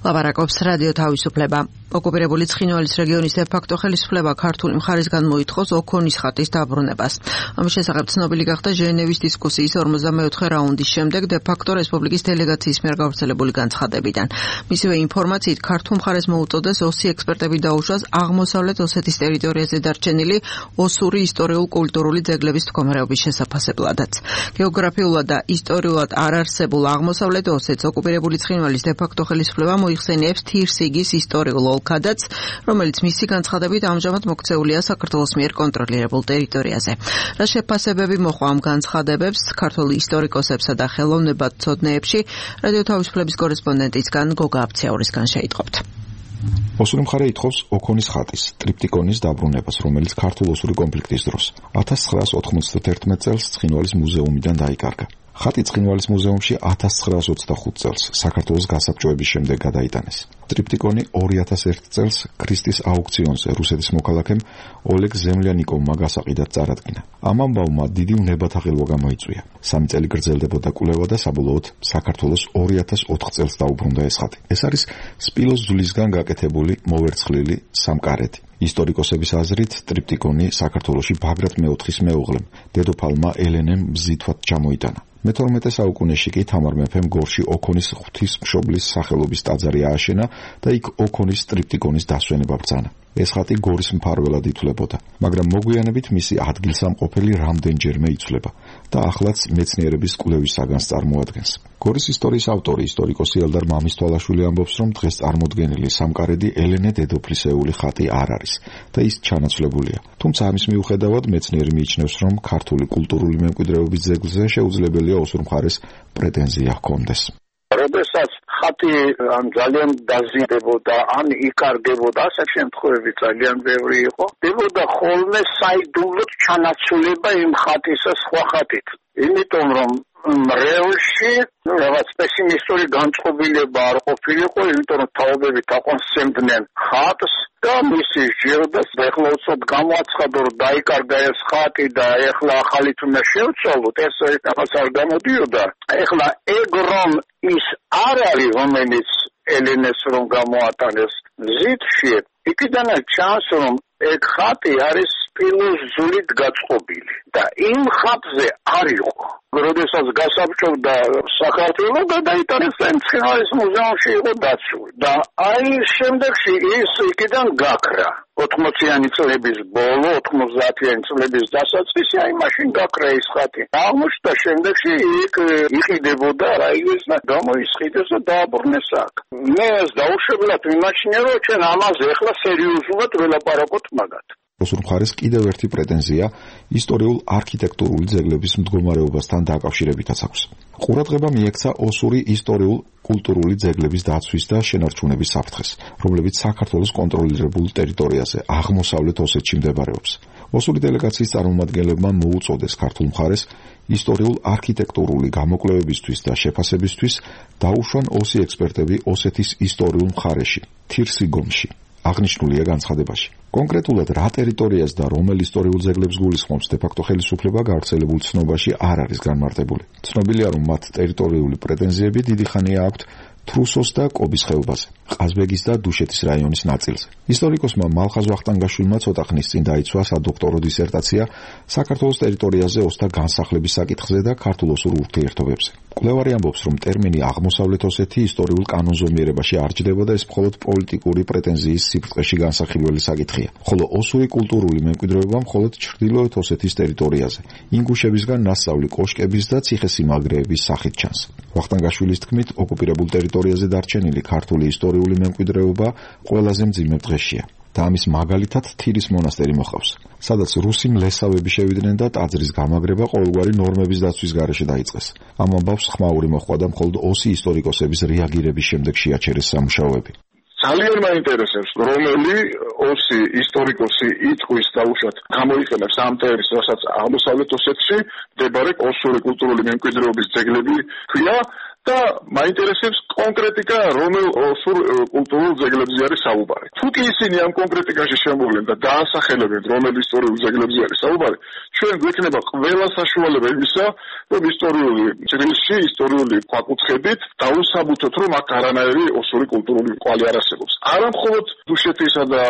ლაპარაკობს რადიო თავისუფლება. ოკუპირებული ცხინვალის რეგიონის დე-ფაქტო ხელისუფლება ქართული მხარისგან მოითხოვს ოქონის ხატის დაბრუნებას. ამის შესახებ ცნობილი გახდა ჟენევის დისკუსიის ორმოცდამეოთხე რაუნდის შემდეგ დე-ფაქტო რესპუბლიკის დელეგაციის მიერ გავრცელებული განცხადებიდან. მისივე ინფორმაციით ქართულ მხარეს მოუწოდეს ოსი ექსპერტები დაუშვას აღმოსავლეთ ოსეთის ტერიტორიაზე დარჩენილი ოსური ისტორიულ-კულტურული ძეგლების მდგომარეობის შესაფასებლადაც. გეოგრაფიულად და ისტორიულად არ არსებულ აღმოსავლეთ ოსეთს ოკუპირებული ცხინვალის დე-ფაქტო ხელისუფლება მოიხსენიებს თირსიგის ისტორიულ ოლქადაც, რომელიც მისი განცხადებით ამჟამად მოქცეულია საქართველოს მიერ კონტროლირებულ ტერიტორიაზე. რა შეფასებები მოყვა ამ განცხადებებს ქართულ ისტორიკოსებსა და ხელოვნებათმცოდნეებში, რადიო თავისუფლების კორესპონდენტისგან გოგა აფციაურისგან შეიტყობთ. ოსური მხარე ითხოვს ოქონის ხატის, ტრიპტიკონის დაბრუნებას, რომელიც ქართულ-ოსური კონფლიქტის დროს ათას ცხრაას ოთხმოცდათერთმეტ წელს ცხინვალის მუზეუმიდან დაიკარგა. ხატი ცხინვალის მუზეუმში ათას ცხრაას ოცდახუთ წელს საქართველოს გასაბჭოების შემდეგ გადაიტანეს. ტრიპტიკონი ორი ათას ერთი წელს ქრისტის აუქციონზე რუსეთის მოქალაქემ ოლეგ ზემლიანიკოვმა გასაყიდად წარადგინა. ამ ამბავმა დიდი უნებათაღელვა გამოიწვია. სამი წელი გრძელდებოდა კვლევა და საბოლოოდ საქართველოს ორი ათას ოთხ წელს დაუბრუნდა ეს ხატი. ეს არის სპილოს ძვლისგან გაკეთებული მოვერცხლილი სამკარედი. ისტორიკოსების აზრით, ტრიპტიკონი საქართველოში ბაგრატ მეოთხის მეუღლემ, დედოფალმა ელენემ ბზითვად ჩამოიტანა. მეთორმეტე საუკუნეში კი თამარ მეფემ გორში ოქონის ღვთისმშობლის სახელობის ტაძარი ააშენა და იქ ოქონის ტრიპტიკონის დასვენება ბრძანა. ეს ხატი გორის მფარველად ითვლებოდა, მაგრამ მოგვიანებით მისი ადგილსამყოფელი რამდენჯერმე იცვლება და ახლაც მეცნიერების კვლევის საგანს წარმოადგენს. გორის ისტორიის ავტორი, ისტორიკოსი ელდარ მამისთვალაშვილი ამბობს, რომ დღეს წარმოდგენილი სამკარედი ელენე დედოფლისეული ხატი არ არის და ის ჩანაცვლებულია. თუმცა ამის მიუხედავად მეცნიერი მიიჩნევს, რომ ქართული კულტურული მემკვიდრეობის ძეგლზე შეუძლებელია ოსურ მხარეს პრეტენზია ჰქონდეს. როდესაც ხატი ან ძალიან დაზიანდებოდა, ან იკარგებოდა, ასე შემთხვევები ძალიან ბევრი იყო. დებოდა ხოლმე საიდუმლოდ ჩანაცვლება იმ ხატისა სხვა ხატით. იმიტომ რომ რეალში რაღაც პესიმისტური განწყობილება არ ყოფილიყო, იმიტომ რომ თაობები თაყვანისმცემდნენ ხატს და მისი ჟირდას ეხლა უცოდ გამოაცხადო, რომ დაიკარგა ეს ხატი და ეხლა ახალით უნდა შევცვალოთ, ეს რაღაც არ გამოდიოდა. ეხლა ეგ რომ ის არ არის, რომელიც ელენეს რომ გამოატანეს ზითში, იქიდანაც ჩანს, რომ ეგ ხატი არის სპილოს ძვლით გაწყობილი და იმ ხატზე არ იყო. როდესაც გასაბჭობდა საქართველო, გადაიტანეს ცხინვალის მუზეუმში იყო დაცული და აი შემდეგში ის იქიდან გაქრა. ოთხმოციანი წლების ბოლო, ოთხმოცდაათიანი წლების დასაწყისი, აი მაშინ გაქრა ის ხატი. აღმოჩნდა შემდეგში იქ იყიდებოდა რაიგეს და გამოისყიდეს და დააბრუნეს აქ. მე ეს დაუშვებლად ვიმაჩნია, რომ ჩვენ ამაზე ახლა სერიოზულად ველაპარაკოთ მაგათ. ოსურ მხარეს კიდევ ერთი პრეტენზია ისტორიულ არქიტექტურული ძეგლების მდგომარეობასთან დაკავშირებითაც აქვს. ყურადღება მიექცა ოსური ისტორიულ კულტურული ძეგლების დაცვის და შენარჩუნების საფრთხეს, რომლებიც საქართველოს კონტროლირებულ ტერიტორიაზე აღმოსავლეთ ოსეთში მდებარეობს. ოსური დელეგაციის წარმომადგენლებმა მოუწოდეს ქართულ მხარეს ისტორიულ არქიტექტურული გამოკვლევებისთვის და შეფასებისთვის დაუშვან ოსი ექსპერტები ოსეთის ისტორიულ მხარეში, თირსიგომში. აღნიშნულია განცხადებაში. კონკრეტულად რა ტერიტორიას და რომელ ისტორიულ ძეგლებს გულისხმობს დე-ფაქტო ხელისუფლება გავრცელებულ ცნობაში არ არის განმარტებული. ცნობილია, რომ მათ ტერიტორიული პრეტენზიები დიდი ხანია აქვთ თრუსოს და კობის ხეობაზე, ყაზბეგის და დუშეთის რაიონის ნაწილზე. ისტორიკოსმა მალხაზ ვახტანგაშვილმა ცოტა ხნის წინ დაიცვა სადოქტორო დისერტაცია საქართველოს ტერიტორიაზე ოსთა განსახლების საკითხზე და ქართულ-ოსურ ურთიერთობებზე. კვლევარი ამბობს, რომ ტერმინი აღმოსავლეთ ოსეთი ისტორიულ კანონზომიერებაში არ ჯდება და ეს მხოლოდ პოლიტიკური პრეტენზიის სიბრტყეში განსახილველი საკითხია, ხოლო ოსური კულტურული მემკვიდრეობა მხოლოდ ჩრდილოეთ ოსეთის ტერიტორიაზე, ინგუშებისგან ნასწავლი კოშკების და ციხესიმაგრეების სახით ჩანს. ვახტანგაშვილის თქმით, ოკუპირებულ ტერიტორიაზე დარჩენილი ქართული ისტორიული მემკვიდრეობა ყველაზე მძიმე დღეშია. და ამის მაგალითად თირის მონასტერი მოხავს, სადაც რუსი მლესავები შევიდნენ და ტაძრის გამაგრება ყოველგვარი ნორმების დაცვის გარეშე დაიწყეს. ამ ამბავს ხმაური მოჰყვა და მხოლოდ ოსი ისტორიკოსების რეაგირების შემდეგ შეაჩერეს სამუშაოები. ძალიან მაინტერესებს, რომელი ოსი ისტორიკოსი იტყვის დაუშვათ გამოიყენებს ამ ტერმინს, რასაც აღმოსავლეთ ოსეთში მდებარე ოსური კულტურული მემკვიდრეობის ძეგლები ქვია და მაინტერესებს კონკრეტიკა, რომელ ოსურ კულტურულ ძეგლებზე არის საუბარი. თუ კი ისინი ამ კონკრეტიკაში შემოვლენ და დაასახელებენ, რომელ ისტორიულ ძეგლებზე არის საუბარი, ჩვენ გვექნება ყველა საშუალება იმისა, რომ ისტორიული ჭრილში, ისტორიული ქვაკუთხებით დავუსაბუთოთ, რომ აქ არანაირი ოსური კულტურული კვალი არ არსებობს. არა მხოლოდ დუშეთისა და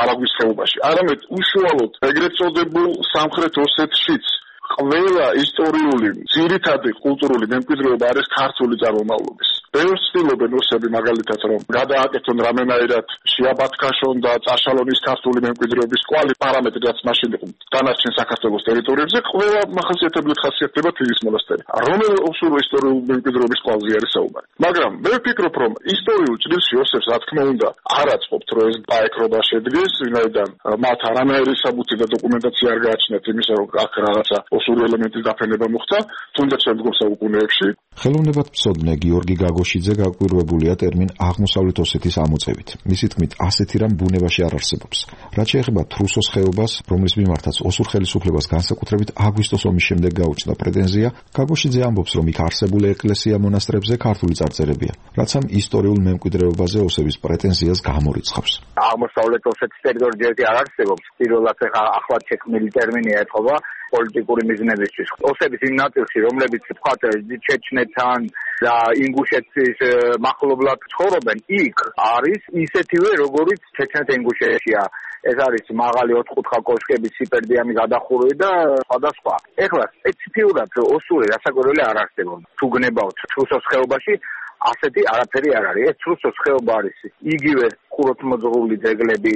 არაგვის ხეობაში, არამედ უშუალოდ ეგრეთ წოდებულ სამხრეთ ოსეთშიც ყველა ისტორიული ძირითადი კულტურული მემკვიდრეობა არის ქართული წარმომავლობის. ბევრს ცდილობენ ოსები მაგალითად, რომ გადააკეთონ რამენაირად შეაბათქაშონ და წაშალონის ქართული მემკვიდრეობის კვალი პარამეტრი, რაც მაშინ იყო დანარჩენ საქართველოს ტერიტორიებზე, ყველა მახასიათებლად ხასიათდება თირის მონასტერი. რომელ ოსურ ისტორიულ მემკვიდრეობის კვალზე არის საუბარი. მაგრამ მე ვფიქრობ, რომ ისტორიულ ჭრილში ოსებს რა თქმა უნდა არ აწყობთ, რომ ეს ბაეკრობა შედგეს, ვინაიდან მათ არანაირი საბუთი და დოკუმენტაცია არ გააჩნიათ იმისა, რომ აქ რაღაცა ოსური ელემენტის დაფენება მოხდა, თუნდაც შემდგომ საუკუნეებში. ხელოვნებათმცოდნე გიორგი გაგოშიძე გაკვირვებულია ტერმინ აღმოსავლეთ ოსეთის ამოწევით. მისი თქმით, ასეთი რამ ბუნებაში არ არსებობს. რაც შეეხება თრუსოს ხეობას, რომლის მიმართაც ოსურ ხელისუფლებას განსაკუთრებით აგვისტოს ომის შემდეგ გაუჩნდა პრეტენზია, გაგოშიძე ამბობს, რომ იქ არსებული ეკლესია მონასტრებზე ქართული წარწერებია, რაც ამ ისტორიულ მემკვიდრეობაზე ოსების პრეტენზიას გამორიცხავს. აღმოსავლეთ ოსეთის ტერიტორიაზე არ არსებობს. პირველად ახლად შექმნილი ტერმინია ეთყობა პოლიტიკური მიზნებისთვის. ოსების იმ ნაწილში, რომლებიც თქვათ ჩეჩნეთთან და ინგუშეთის მახლობლად ცხოვრობენ, იქ არის ისეთივე, როგორიც ჩეჩნეთ-ინგუშეთშია. ეს არის მაღალი ოთხკუთხა კოშკების სიპერდიანი გადახურვი და სხვადასხვა. ეხლა სპეციფიურად ოსური რასაკვირველი არ არსებობს. თუ გნებავთ თრუსოს ხეობაში, ასეთი არაფერი არ არის. ეს თრუსოს ხეობა არის იგივე ხუროთმოძღვრული ძეგლები,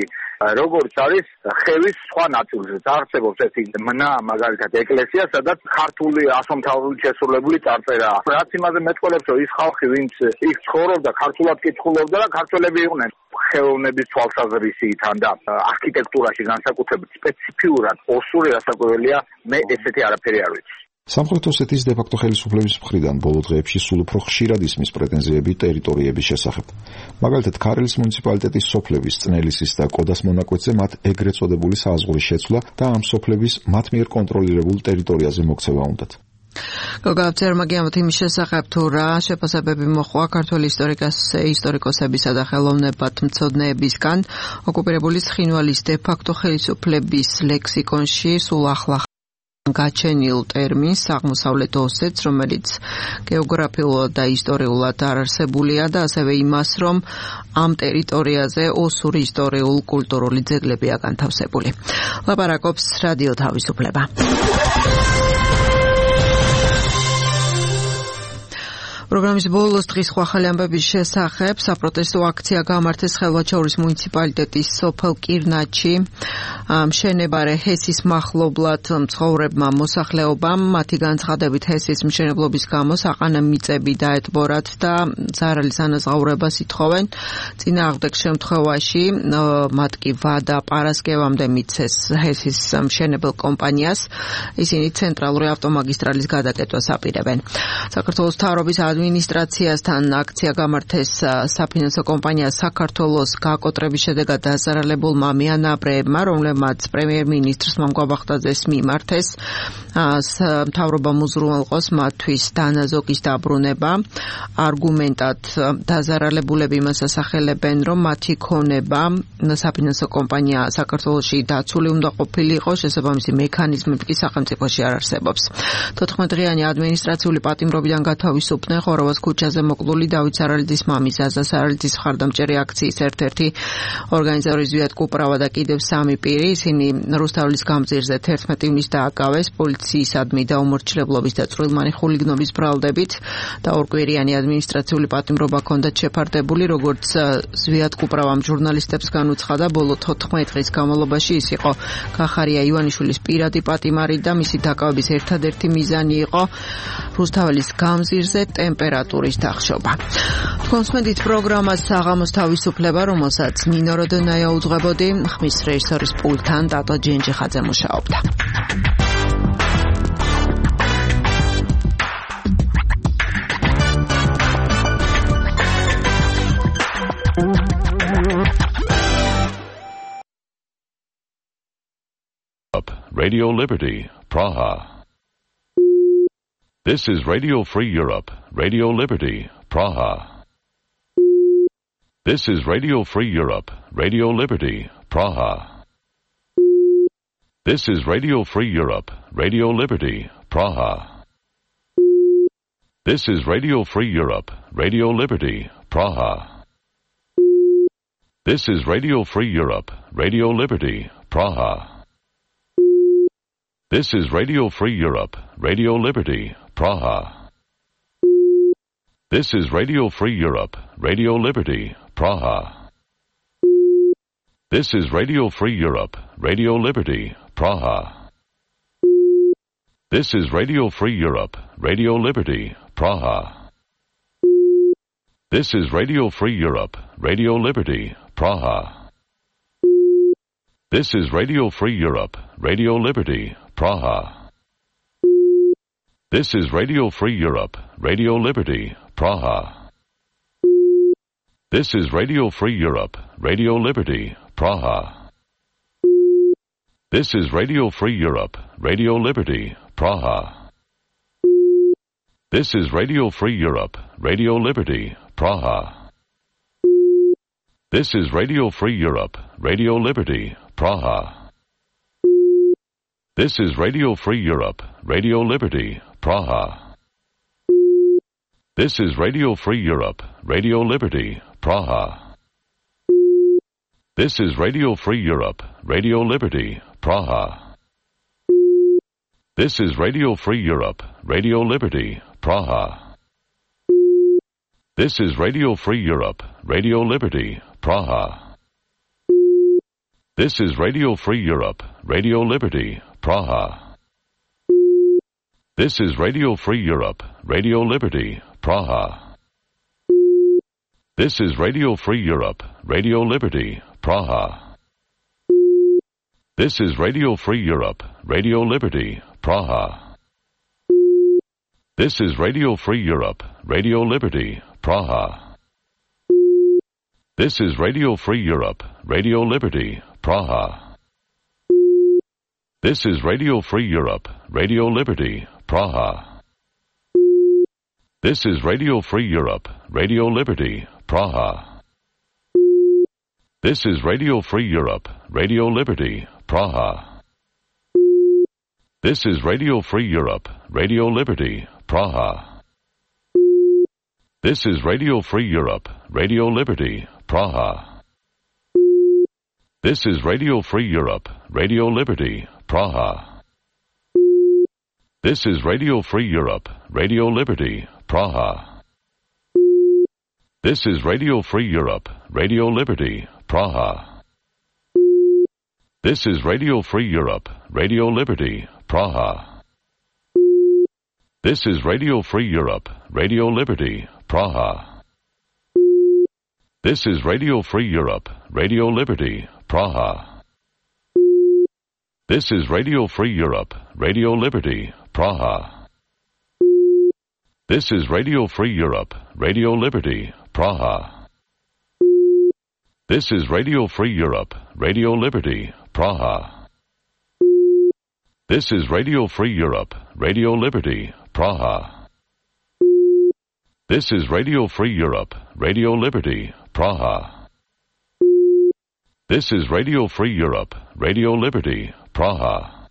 როგორც არის ხევის სხვა ნაწილზე. არსებობს ერთი მნა, მაგალითად ეკლესია, სადაც ქართული ასომთავრული შესრულებული წარწერაა. რაც იმაზე მეტყველებს, რომ ის ხალხი, ვინც იქ ცხოვრობდა, ქართულად კითხულობდა და ქართველები იყვნენ ხელოვნების თვალსაზრისით და არქიტექტურაში განსაკუთრებით სპეციფიურად ოსური რასაკვირველია, მე ესეთი არაფერი არ ვიცი. სამხრეთ ოსეთის დე-ფაქტო ხელისუფლების მხრიდან ბოლო დღეებში სულ უფრო ხშირად ისმის პრეტენზიები ტერიტორიების შესახებ. მაგალითად, ქარელის მუნიციპალიტეტის სოფლების წნელისის და კოდას მონაკვეთზე მათ ეგრეთ წოდებული საზღვრის შეცვლა და ამ სოფლების მათ მიერ კონტროლირებულ ტერიტორიაზე მოქცევა უნდათ. გოგავწერმა გიამოთ იმის შესახებ, თუ რა შეფასებები მოხდა ქართველი ისტორიკოსებისა და ხელოვნებათმცოდნეებისგან ოკუპირებული ცხინვალის დე-ფაქტო ხელისუფლების ლექსიკონში სულ ახლა გაჩენილ ტერმინს აღმოსავლეთ ოსეთს, რომელიც გეოგრაფიულად და ისტორიულად არ არსებულია და ასევე იმას, რომ ამ ტერიტორიაზე ოსური ისტორიულ კულტურული ძეგლებია განთავსებული. ლაპარაკობს რადიო თავისუფლება. პროგრამის ბოლოს დღის სხვა ახალი ამბების შესახებ საპროტესტო აქცია გამართეს ხელვაჩაურის მუნიციპალიტეტის სოფელ კირნაჩი მშენებარე ჰესის მახლობლად მცხოვრებმა მოსახლეობამ. მათი განცხადებით ჰესის მშენებლობის გამო საყანა მიწები დაეთბორათ და ზარალის ანაზღაურებას ითხოვენ. წინააღმდეგ შემთხვევაში მათ კი ვადა პარასკევამდე მიცეს ჰესის მშენებელ კომპანიას. ისინი ცენტრალური ავტომაგისტრალის გადაკეთებას აპირებენ. საქართველოს მთავრობის ადმინისტრაციასთან აქცია გამართეს საფინანსო კომპანია საქართველოს გაკოტრების შედეგად დაზარალებულმა მიანაბრეებმა, რომლებმაც პრემიერ-მინისტრს მამგვაბახტაძეს მიმართეს. მთავრობამ უზრუნველყოს მათთვის დანაზოგის დაბრუნება. არგუმენტად დაზარალებულები იმას ასახელებენ, რომ მათი ქონება საფინანსო კომპანია საქართველოში დაცული უნდა ყოფილიყო, შესაბამისი მექანიზმები კი სახელმწიფოში არ არსებობს. თოთხმეტ დღიანი ადმინისტრაციული პატიმრობიდან გათავისუფლდნენ ხოროვას ქუჩაზე მოკლული დავით სარალიძის მამის ზაზა სარალიძის მხარდამჭერი აქციის ერთ-ერთი ორგანიზატორი ზვიად კუპრავა და კიდევ სამი პირი, ისინი რუსთაველის გამზირზე თერთმეტი ივნის დააკავეს პოლიციისადმი და უმორჩილებლობის და წვრილმანი ხულიგნობის ბრალდებით და ორკვირიანი ადმინისტრაციული პატიმრობა ჰქონდათ შეფარდებული, როგორც ზვიად კუპრავამ ჟურნალისტებს განუცხადა, ბოლო თოთხმეტ დღის განმავლობაში ის იყო კახარია ივანიშვილის პირადი პატიმარი და მისი დაკავების ერთადერთი მიზანი იყო რუსთაველის გამზირზე ტემპერატურის დახშობა. თქვენს მედით პროგრამას საღამოს თავისუფლება, რომელსაც ნინო როდონაია უძღვებოდი, ხმის რეჟისორის პულტთან დატო ჯენჯიხაძე მუშაობდა. Radio Liberty, Praha. This is Radio Free Europe, Radio Liberty, Praha. This is Radio Free Europe, Radio Liberty, Praha. This is Radio Free Europe, Radio Liberty, Praha. This is Radio Free Europe, Radio Liberty, Praha. This is Radio Free Europe, Radio Liberty, Praha. This is Radio Free Europe, Radio Liberty, Praha. This is Radio Free Europe, Radio Liberty, Praha. This is Radio Free Europe, Radio Liberty, Praha. This is Radio Free Europe, Radio Liberty, Praha. This is Radio Free Europe, Radio Liberty, Praha. This is Radio Free Europe, Radio Liberty, Praha. This is Radio Free Europe, Radio Liberty, Praha. This is Radio Free Europe, Radio Liberty, Praha. This is Radio Free Europe, Radio Liberty, Praha. This is Radio Free Europe, Radio Liberty, Praha. This is Radio Free Europe, Radio Liberty, Praha. This is Radio Free Europe, Radio Liberty, Praha. This is Radio Free Europe, Radio Liberty, Praha. This is Radio Free Europe, Radio Liberty, Praha. This is Radio Free Europe, Radio Liberty, Praha. This is Radio Free Europe, Radio Liberty, Praha. This is Radio Free Europe, Radio Liberty, Praha. This is Radio Free Europe, Radio Liberty, Praha. This is Radio Free Europe, Radio Liberty, Praha. This is Radio Free Europe, Radio Liberty, Praha. This is Radio Free Europe, Radio Liberty, Praha. This is Radio Free Europe, Radio Liberty, Praha. This is Radio Free Europe, Radio Liberty, Praha. This is Radio Free Europe, Radio Liberty, Praha. This is Radio Free Europe, Radio Liberty, Praha. This is Radio Free Europe, Radio Liberty, Praha. This is Radio Free Europe, Radio Liberty, Praha. This is Radio Free Europe, Radio Liberty, Praha. This is Radio Free Europe, Radio Liberty, Praha. This is Radio Free Europe, Radio Liberty, Praha. This is Radio Free Europe, Radio Liberty, Praha. This is Radio Free Europe, Radio Liberty, Praha. This is Radio Free Europe, Radio Liberty, Praha. This is Radio Free Europe, Radio Liberty, Praha. This is Radio Free Europe, Radio Liberty, Praha. This is Radio Free Europe, Radio Liberty, Praha. This is Radio Free Europe, Radio Liberty, Praha. This is Radio Free Europe, Radio Liberty, Praha. This is Radio Free Europe, Radio Liberty, Praha.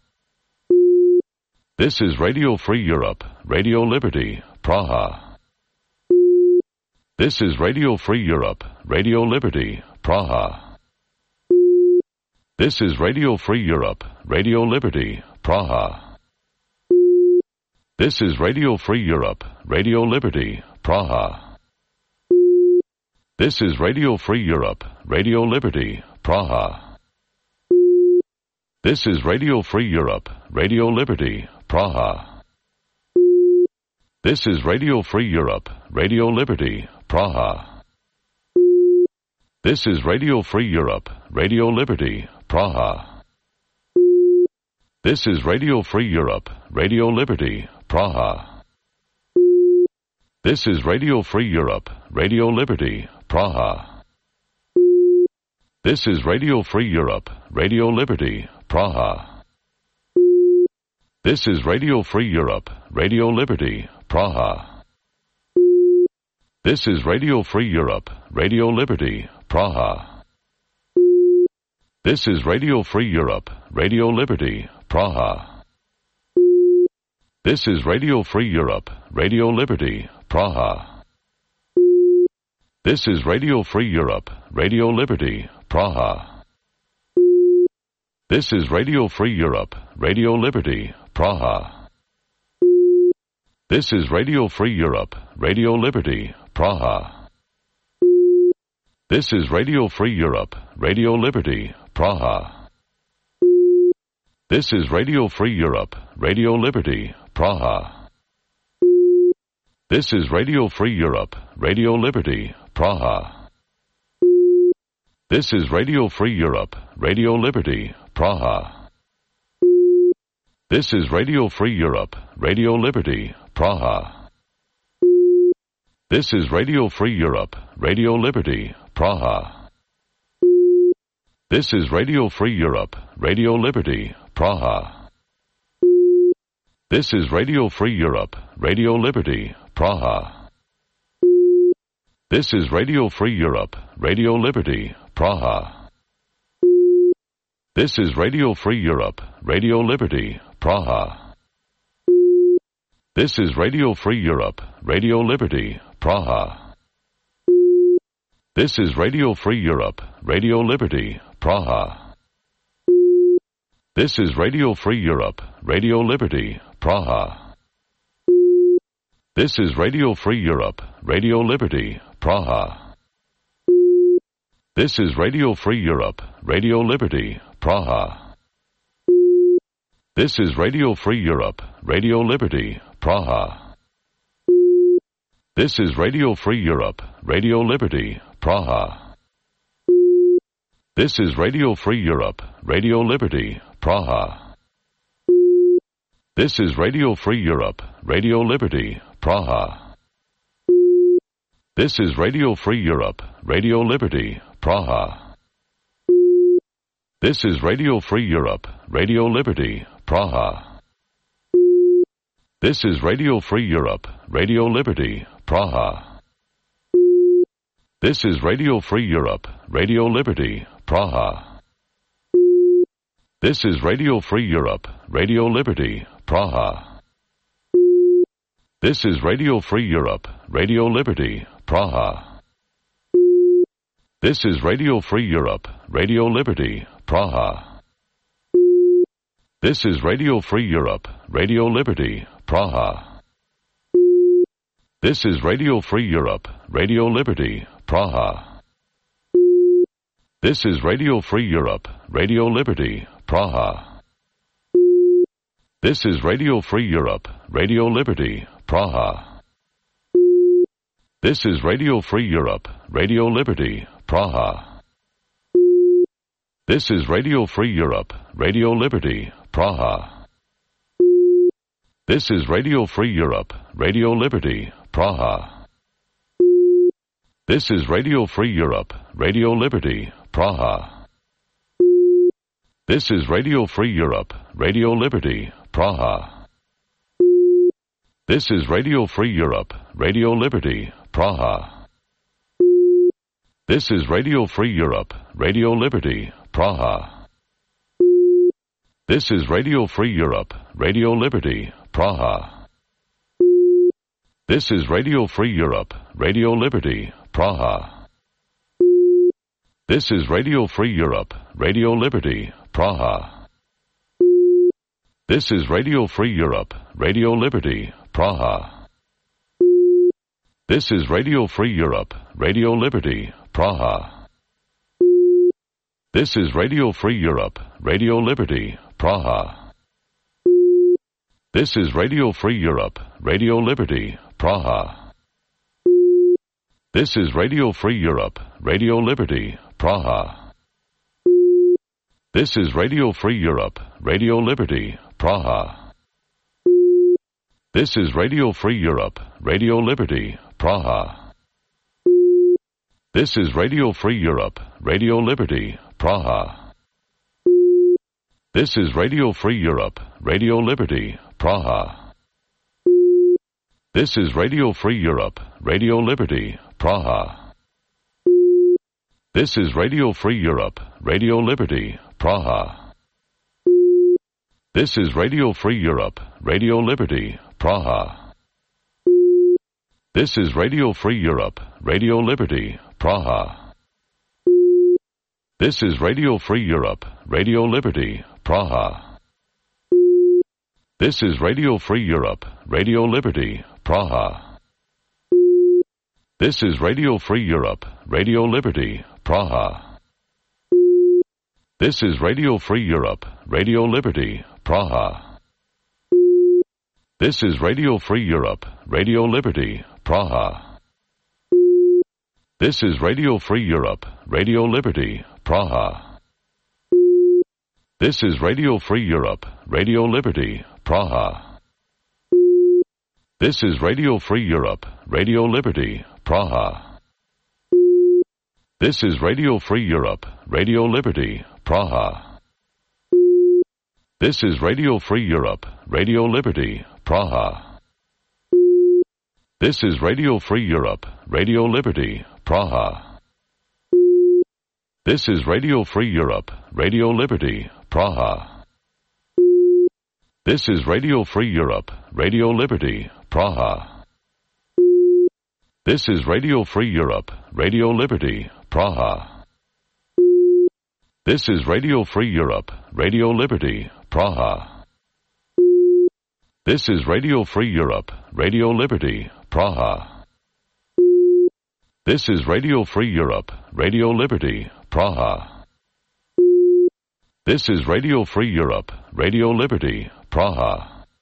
This is Radio Free Europe, Radio Liberty, Praha. This is Radio Free Europe, Radio Liberty, Praha. This is Radio Free Europe, Radio Liberty, Praha. This is Radio Free Europe, Radio Liberty, Praha. This is Radio Free Europe, Radio Liberty, Praha. This is Radio Free Europe, Radio Liberty, Praha. This is Radio Free Europe, Radio Liberty, Praha. This is Radio Free Europe, Radio Liberty, Praha. This is Radio Free Europe, Radio Liberty, Praha. This is Radio Free Europe, Radio Liberty, Praha. This is Radio Free Europe, Radio Liberty, Praha. This is Radio Free Europe, Radio Liberty, Praha. This is Radio Free Europe, Radio Liberty, Praha. This is Radio Free Europe, Radio Liberty, Praha. This is Radio Free Europe, Radio Liberty, Praha. This is Radio Free Europe, Radio Liberty, Praha. This is Radio Free Europe, Radio Liberty, Praha. This is Radio Free Europe, Radio Liberty, Praha. This is Radio Free Europe, Radio Liberty, Praha. This is Radio Free Europe, Radio Liberty, Praha. This is Radio Free Europe, Radio Liberty, Praha. This is Radio Free Europe, Radio Liberty, Praha. This is Radio Free Europe, Radio Liberty, Praha. This is Radio Free Europe, Radio Liberty, Praha. This is Radio Free Europe, Radio Liberty, Praha. This is Radio Free Europe, Radio Liberty, Praha. This is Radio Free Europe, Radio Liberty, Praha. This is Radio Free Europe, Radio Liberty, Praha. This is Radio Free Europe, Radio Liberty, Praha. This is Radio Free Europe, Radio Liberty, Praha. This is Radio Free Europe, Radio Liberty, Praha. This is Radio Free Europe, Radio Liberty, Praha. This is Radio Free Europe, Radio Liberty, Praha. This is Radio Free Europe, Radio Liberty, Praha. This is Radio Free Europe, Radio Liberty, Praha. This is Radio Free Europe, Radio Liberty, Praha. This is Radio Free Europe, Radio Liberty, Praha. This is Radio Free Europe, Radio Liberty, Praha. This is Radio Free Europe, Radio Liberty, Praha. This is Radio Free Europe, Radio Liberty, Praha. This is Radio Free Europe, Radio Liberty, Praha. This is Radio Free Europe, Radio Liberty, Praha. This is Radio Free Europe, Radio Liberty, Praha. This is Radio Free Europe, Radio Liberty, Praha. This is Radio Free Europe, Radio Liberty, Praha. This is Radio Free Europe, Radio Liberty, Praha. This is Radio Free Europe, Radio Liberty, Praha. This is Radio Free Europe, Radio Liberty, Praha. This is Radio Free Europe, Radio Liberty, Praha. This is Radio Free Europe, Radio Liberty, Praha. This is Radio Free Europe, Radio Liberty, Praha. This is Radio Free Europe, Radio Liberty, Praha. This is Radio Free Europe, Radio Liberty, Praha. This is Radio Free Europe, Radio Liberty, Praha. This is Radio Free Europe, Radio Liberty, Praha. This is Radio Free Europe, Radio Liberty, Praha. This is Radio Free Europe, Radio Liberty, Praha. This is Radio Free Europe, Radio Liberty, Praha. This is Radio Free Europe, Radio Liberty, Praha. This is Radio Free Europe, Radio Liberty, Praha. This is Radio Free Europe, Radio Liberty, Praha. This is Radio Free Europe, Radio Liberty, Praha. This is Radio Free Europe, Radio Liberty, Praha. This is Radio Free Europe, Radio Liberty, Praha. This is Radio Free Europe, Radio Liberty, Praha. This is Radio Free Europe, Radio Liberty, Praha. This is Radio Free Europe, Radio Liberty, Praha. This is Radio Free Europe, Radio Liberty, Praha. This is Radio Free Europe, Radio Liberty, Praha. This is Radio Free Europe, Radio Liberty, Praha. This is Radio Free Europe, Radio Liberty, Praha. This is Radio Free Europe, Radio Liberty, Praha. This is Radio Free Europe, Radio Liberty, Praha. This is Radio Free Europe, Radio Liberty, Praha. This is Radio Free Europe, Radio Liberty, Praha. This is Radio Free Europe, Radio Liberty, Praha. This is Radio Free Europe, Radio Liberty, Praha. This is Radio Free Europe, Radio Liberty, Praha. This is Radio Free Europe, Radio Liberty, Praha. This is Radio Free Europe, Radio Liberty, Praha. This is Radio Free Europe, Radio Liberty, Praha. This is Radio Free Europe, Radio Liberty, Praha. This is Radio Free Europe, Radio Liberty, Praha. This is Radio Free Europe, Radio Liberty, Praha. This is Radio Free Europe, Radio Liberty, Praha. This is Radio Free Europe, Radio Liberty, Praha. This is Radio Free Europe, Radio Liberty, Praha. This is Radio Free Europe, Radio Liberty, Praha. This is Radio Free Europe, Radio Liberty, Praha.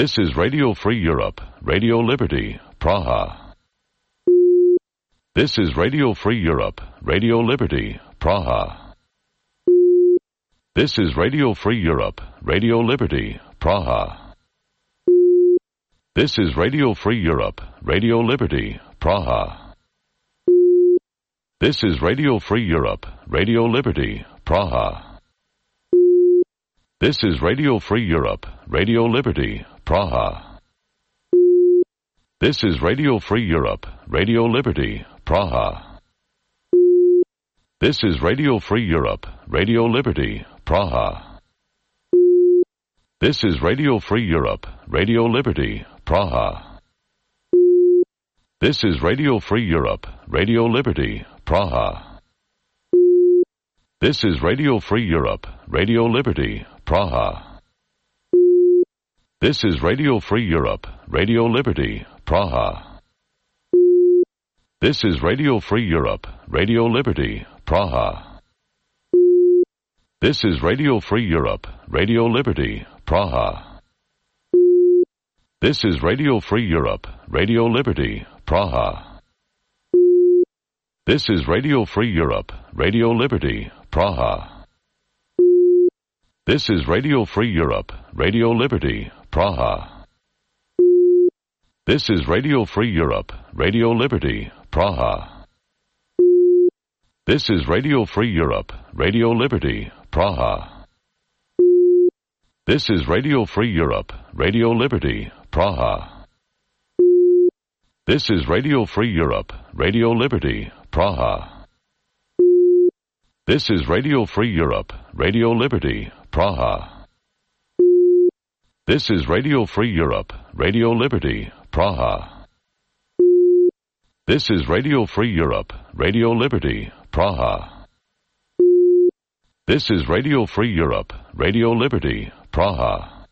This is Radio Free Europe, Radio Liberty, Praha. This is Radio Free Europe, Radio Liberty, Praha. This is Radio Free Europe, Radio Liberty, Praha. This is Radio Free Europe, Radio Liberty, Praha. This is Radio Free Europe, Radio Liberty, Praha. This is Radio Free Europe, Radio Liberty, Praha. This is Radio Free Europe, Radio Liberty, Praha. This is Radio Free Europe, Radio Liberty, Praha. This is Radio Free Europe, Radio Liberty, Praha. This is Radio Free Europe, Radio Liberty, Praha. This is Radio Free Europe, Radio Liberty, Praha. This is Radio Free Europe, Radio Liberty, Praha. This is Radio Free Europe, Radio Liberty, Praha. This is Radio Free Europe, Radio Liberty, Praha. This is Radio Free Europe, Radio Liberty, Praha. This is Radio Free Europe, Radio Liberty, Praha. This is Radio Free Europe, Radio Liberty, Praha. This is Radio Free Europe, Radio Liberty, Praha. This is Radio Free Europe, Radio Liberty, Praha. This is Radio Free Europe, Radio Liberty, Praha. This is Radio Free Europe, Radio Liberty, Praha. This is Radio Free Europe, Radio Liberty, Praha. This is Radio Free Europe, Radio Liberty, Praha. This is Radio Free Europe, Radio Liberty, Praha. This is Radio Free Europe, Radio Liberty, Praha.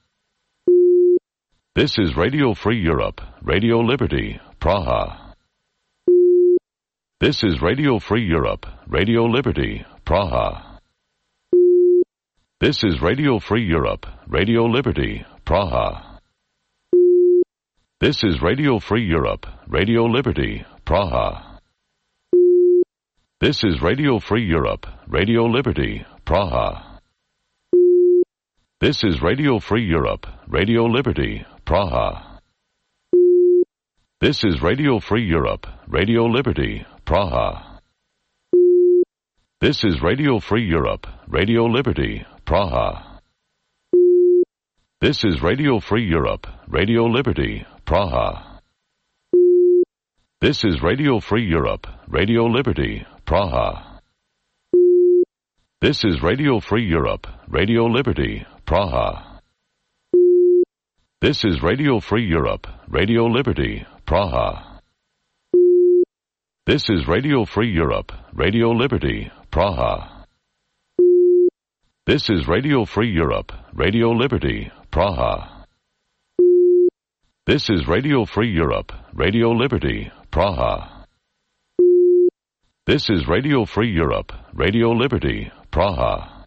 This is Radio Free Europe, Radio Liberty, Praha. This is Radio Free Europe, Radio Liberty, Praha. This is Radio Free Europe, Radio Liberty, Praha. This is Radio Free Europe, Radio Liberty, Praha. This is Radio Free Europe, Radio Liberty, Praha. This is Radio Free Europe, Radio Liberty, Praha. This is Radio Free Europe, Radio Liberty, Praha. This is Radio Free Europe, Radio Liberty, Praha. This is Radio Free Europe, Radio Liberty, Praha. This is Radio Free Europe, Radio Liberty, Praha. This is Radio Free Europe, Radio Liberty, Praha. This is Radio Free Europe, Radio Liberty, Praha. This is Radio Free Europe, Radio Liberty, Praha. This is Radio Free Europe, Radio Liberty, Praha. This is Radio Free Europe, Radio Liberty, Praha. This is Radio Free Europe, Radio Liberty, Praha.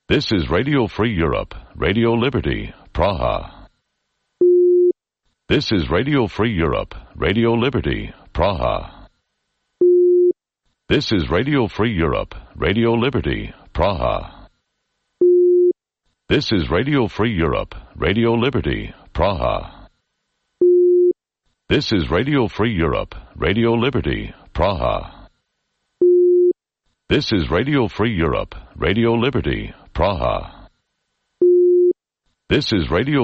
This is Radio Free Europe, Radio Liberty, Praha. This is Radio Free Europe, Radio Liberty, Praha. This is Radio Free Europe, Radio Liberty, Praha. This is Radio Free Europe, Radio Liberty, Praha. This is Radio Free Europe, Radio Liberty, Praha. This is Radio Free Europe, Radio Liberty, Praha. This is Radio Free Europe, Radio Liberty, Praha. This is Radio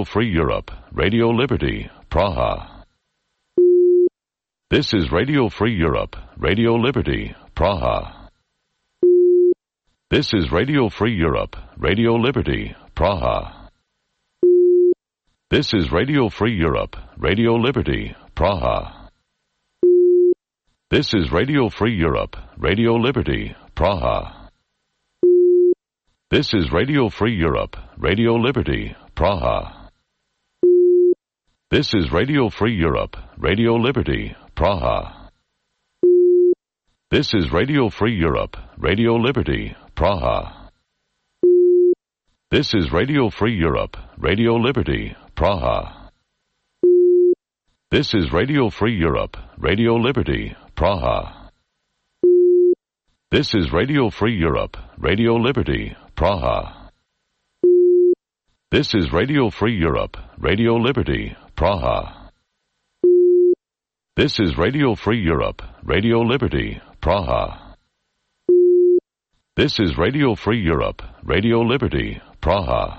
Free Europe, Radio Liberty, Praha. This is Radio Free Europe, Radio Liberty, Praha. This is Radio Free Europe, Radio Liberty, Praha. This is Radio Free Europe, Radio Liberty, Praha. This is Radio Free Europe, Radio Liberty, Praha. This is Radio Free Europe, Radio Liberty, Praha. This is Radio Free Europe, Radio Liberty, Praha. This is Radio Free Europe, Radio Liberty, Praha. This is Radio Free Europe, Radio Liberty, Praha. This is Radio Free Europe, Radio Liberty, Praha. This is Radio Free Europe, Radio Liberty, Praha. This is Radio Free Europe, Radio Liberty, Praha. This is Radio Free Europe, Radio Liberty, Praha. This is Radio Free Europe, Radio Liberty, Praha.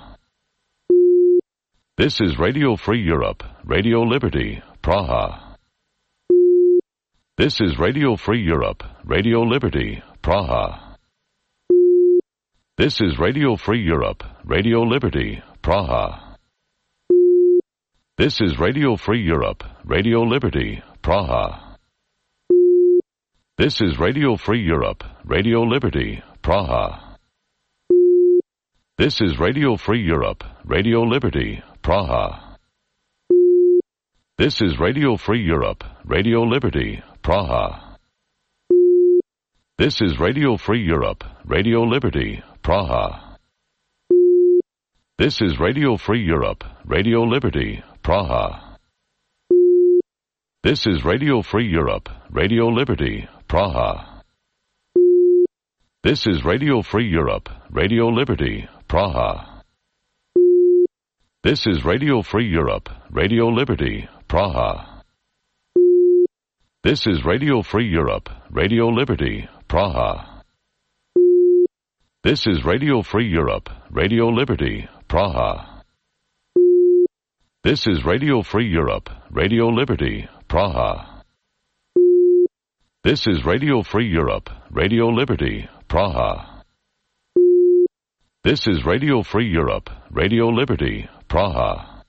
This is Radio Free Europe, Radio Liberty, Praha. This is Radio Free Europe, Radio Liberty, Praha. This is Radio Free Europe, Radio Liberty, Praha. This is Radio Free Europe, Radio Liberty, Praha. This is Radio Free Europe, Radio Liberty, Praha. This is Radio Free Europe, Radio Liberty, Praha. This is Radio Free Europe, Radio Liberty, Praha. This is Radio Free Europe, Radio Liberty, Praha. This is Radio Free Europe, Radio Liberty, Praha. This is Radio Free Europe, Radio Liberty, Praha. This is Radio Free Europe, Radio Liberty, Praha. This is Radio Free Europe, Radio Liberty, Praha. This is Radio Free Europe, Radio Liberty, Praha. This is Radio Free Europe, Radio Liberty, Praha. This is Radio Free Europe, Radio Liberty, Praha. This is Radio Free Europe, Radio Liberty, Praha.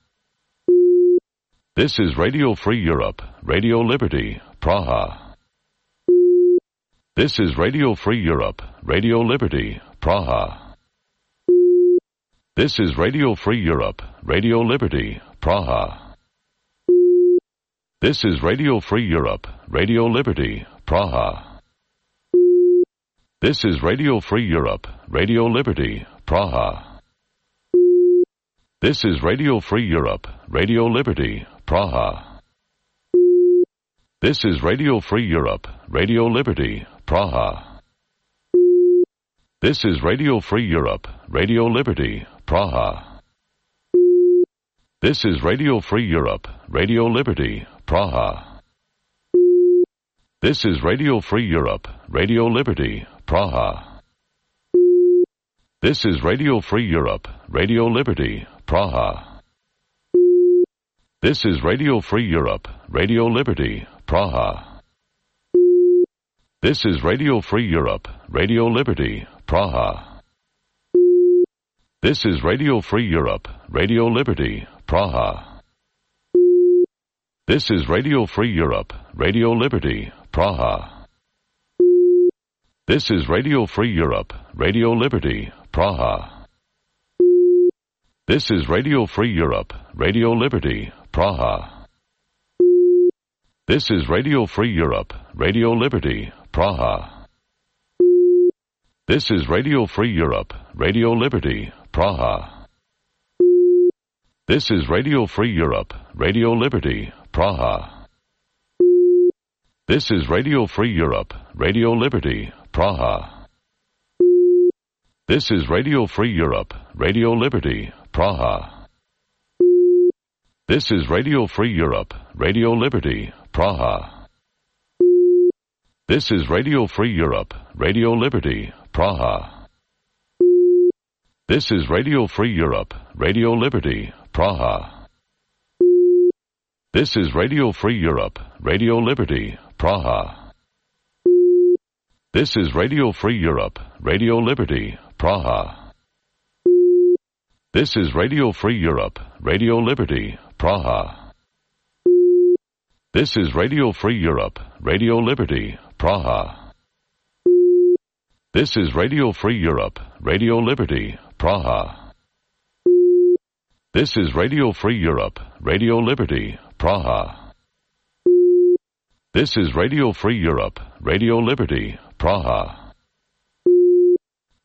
This is Radio Free Europe, Radio Liberty, Praha. This is Radio Free Europe, Radio Liberty, Praha. This is Radio Free Europe, Radio Liberty, Praha. This is Radio Free Europe, Radio Liberty, Praha. This is Radio Free Europe, Radio Liberty, Praha. This is Radio Free Europe, Radio Liberty, Praha. This is Radio Free Europe, Radio Liberty, Praha. This is Radio Free Europe, Radio Liberty, Praha. This is Radio Free Europe, Radio Liberty, Praha. This is Radio Free Europe, Radio Liberty, Praha. This is Radio Free Europe, Radio Liberty, Praha. This is Radio Free Europe, Radio Liberty, Praha. This is Radio Free Europe, Radio Liberty, Praha. This is Radio Free Europe, Radio Liberty, Praha. This is Radio Free Europe, Radio Liberty, Praha. This is Radio Free Europe, Radio Liberty, Praha. This is Radio Free Europe, Radio Liberty, Praha. This is Radio Free Europe, Radio Liberty, Praha. This is Radio Free Europe, Radio Liberty, Praha. This is Radio Free Europe, Radio Liberty, Praha. This is Radio Free Europe, Radio Liberty, Praha. This is Radio Free Europe, Radio Liberty, Praha. This is Radio Free Europe, Radio Liberty, Praha. This is Radio Free Europe, Radio Liberty, Praha. This is Radio Free Europe, Radio Liberty, Praha. This is Radio Free Europe, Radio Liberty, Praha. This is Radio Free Europe, Radio Liberty, Praha. This is Radio Free Europe, Radio Liberty, Praha. This is Radio Free Europe, Radio Liberty, Praha. This is Radio Free Europe, Radio Liberty, Praha. This is Radio Free Europe, Radio Liberty, Praha. This is Radio Free Europe, Radio Liberty, Praha.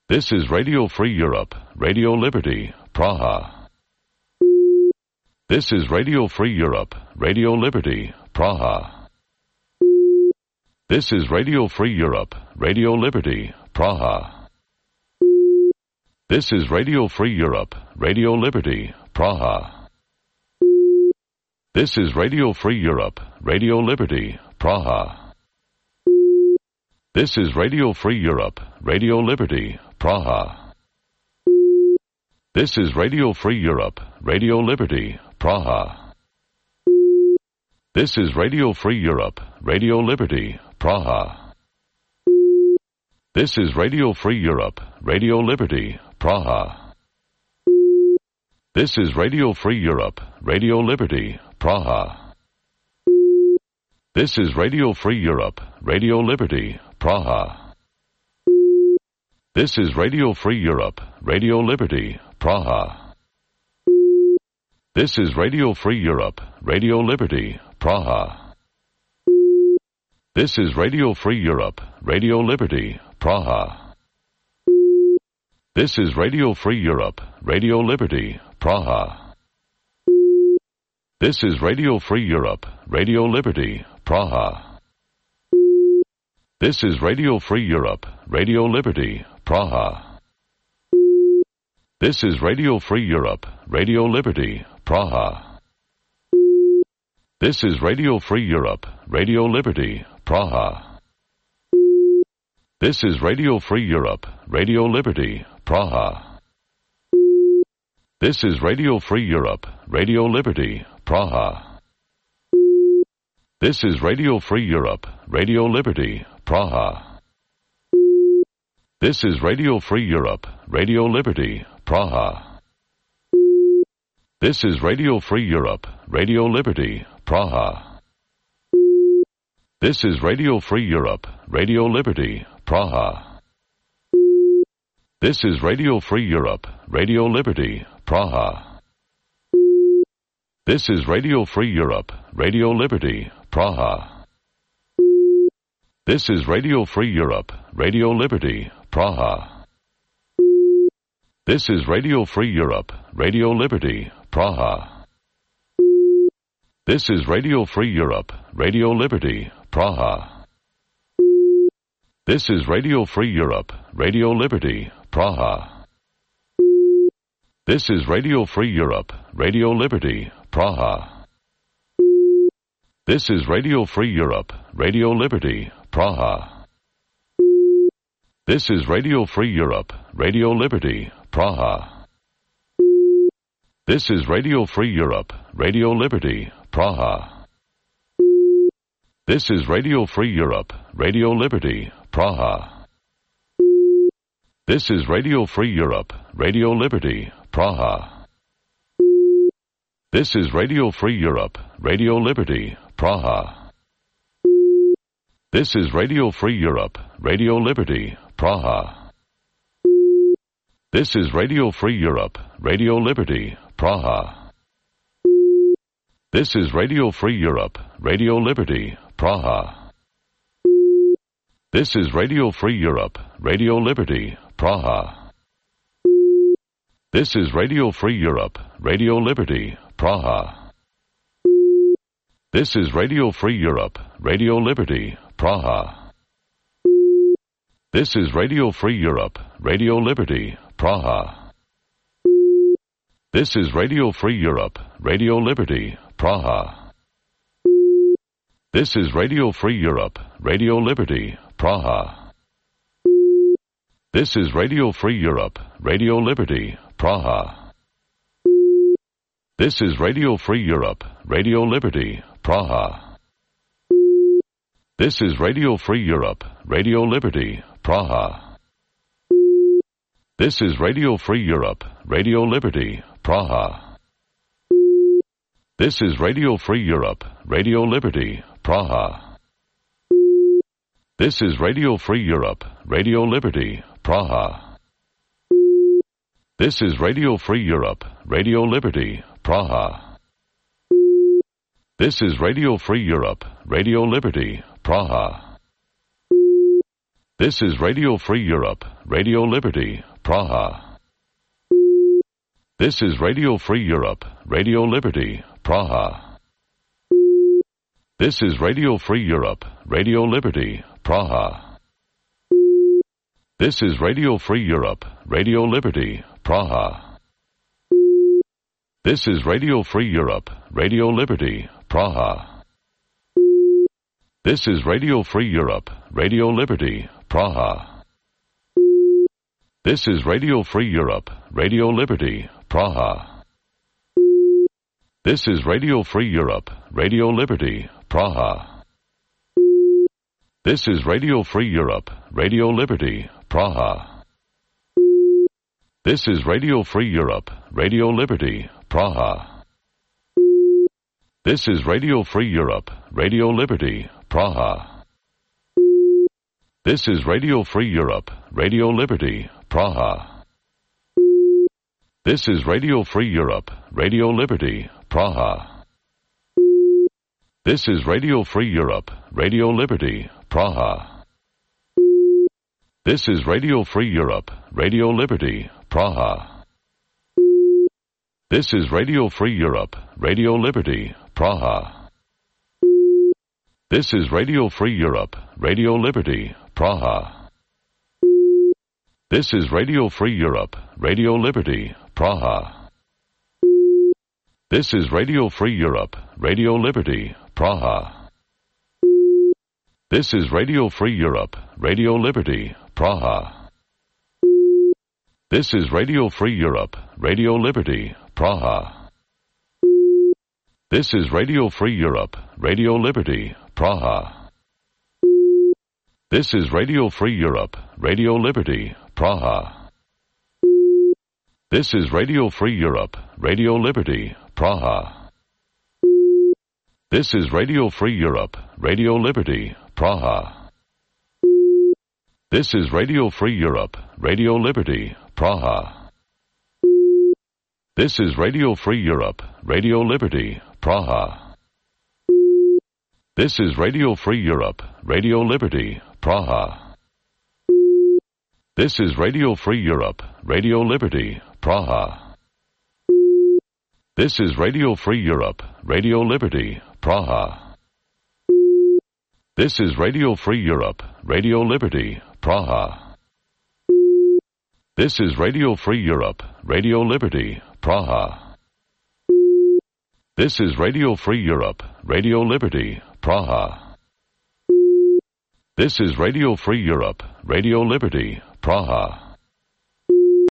This is Radio Free Europe, Radio Liberty, Praha. This is Radio Free Europe, Radio Liberty, Praha. This is Radio Free Europe, Radio Liberty, Praha. This is Radio Free Europe, Radio Liberty, Praha. This is Radio Free Europe, Radio Liberty, Praha. This is Radio Free Europe, Radio Liberty, Praha. This is Radio Free Europe, Radio Liberty, Praha. This is Radio Free Europe, Radio Liberty, Praha. This is Radio Free Europe, Radio Liberty, Praha. This is Radio Free Europe, Radio Liberty, Praha. This is Radio Free Europe, Radio Liberty, Praha. This is Radio Free Europe, Radio Liberty, Praha. This is Radio Free Europe, Radio Liberty, Praha. This is Radio Free Europe, Radio Liberty, Praha. This is Radio Free Europe, Radio Liberty, Praha. This is Radio Free Europe, Radio Liberty, Praha. This is Radio Free Europe, Radio Liberty, Praha. This is Radio Free Europe, Radio Liberty, Praha. This is Radio Free Europe, Radio Liberty, Praha. This is Radio Free Europe, Radio Liberty, Praha. This is Radio Free Europe, Radio Liberty, Praha. This is Radio Free Europe, Radio Liberty, Praha. This is Radio Free Europe, Radio Liberty, Praha. This is Radio Free Europe, Radio Liberty, Praha. This is Radio Free Europe, Radio Liberty, Praha. This is Radio Free Europe, Radio Liberty, Praha. This is Radio Free Europe, Radio Liberty, Praha. This is Radio Free Europe, Radio Liberty, Praha. This is Radio Free Europe, Radio Liberty, Praha. This is Radio Free Europe, Radio Liberty, Praha. This is Radio Free Europe, Radio Liberty, Praha. This is Radio Free Europe, Radio Liberty, Praha. This is Radio Free Europe, Radio Liberty, Praha. This is Radio Free Europe, Radio Liberty, Praha. This is Radio Free Europe, Radio Liberty, Praha. This is Radio Free Europe, Radio Liberty, Praha. This is Radio Free Europe, Radio Liberty, Praha. This is Radio Free Europe, Radio Liberty, Praha. This is Radio Free Europe, Radio Liberty, Praha. This is Radio Free Europe, Radio Liberty, Praha. This is Radio Free Europe, Radio Liberty, Praha. This is Radio Free Europe, Radio Liberty, Praha. This is Radio Free Europe, Radio Liberty, Praha. This is Radio Free Europe, Radio Liberty, Praha. This is Radio Free Europe, Radio Liberty, Praha. This is Radio Free Europe, Radio Liberty, Praha. This is Radio Free Europe, Radio Liberty, Praha. This is Radio Free Europe, Radio Liberty, Praha. This is Radio Free Europe, Radio Liberty, Praha. This is Radio Free Europe, Radio Liberty, Praha. This is Radio Free Europe, Radio Liberty, Praha. This is Radio Free Europe, Radio Liberty, Praha. This is Radio Free Europe, Radio Liberty, Praha. This is Radio Free Europe, Radio Liberty, Praha. This is Radio Free Europe, Radio Liberty, Praha. This is Radio Free Europe, Radio Liberty, Praha. This is Radio Free Europe, Radio Liberty, Praha. This is Radio Free Europe, Radio Liberty, Praha. This is Radio Free Europe, Radio Liberty, Praha. This is Radio Free Europe, Radio Liberty, Praha. This is Radio Free Europe, Radio Liberty, Praha. This is Radio Free Europe, Radio Liberty, Praha. This is Radio Free Europe, Radio Liberty, Praha. This is Radio Free Europe, Radio Liberty, Praha. This is Radio Free Europe, Radio Liberty, Praha. This is Radio Free Europe, Radio Liberty, Praha. This is Radio Free Europe, Radio Liberty, Praha. This is Radio Free Europe, Radio Liberty, Praha. This is Radio Free Europe, Radio Liberty, Praha. This is Radio Free Europe, Radio Liberty, Praha. This is Radio Free Europe, Radio Liberty, Praha. This is Radio Free Europe, Radio Liberty, Praha. This is Radio Free Europe, Radio Liberty, Praha. This is Radio Free Europe, Radio Liberty, Praha. This is Radio Free Europe, Radio Liberty, Praha. This is Radio Free Europe, Radio Liberty, Praha. This is Radio Free Europe, Radio Liberty, Praha. This is Radio Free Europe, Radio Liberty, Praha. This is Radio Free Europe, Radio Liberty, Praha. This is Radio Free Europe, Radio Liberty, Praha. This is Radio Free Europe, Radio Liberty, Praha. This is Radio Free Europe, Radio Liberty, Praha. This is Radio Free Europe, Radio Liberty, Praha. This is Radio Free Europe, Radio Liberty, Praha. This is Radio Free Europe, Radio Liberty, Praha. This is Radio Free Europe, Radio Liberty, Praha. This is Radio Free Europe, Radio Liberty, Praha. This is Radio Free Europe, Radio Liberty, Praha. This is Radio Free Europe, Radio Liberty, Praha.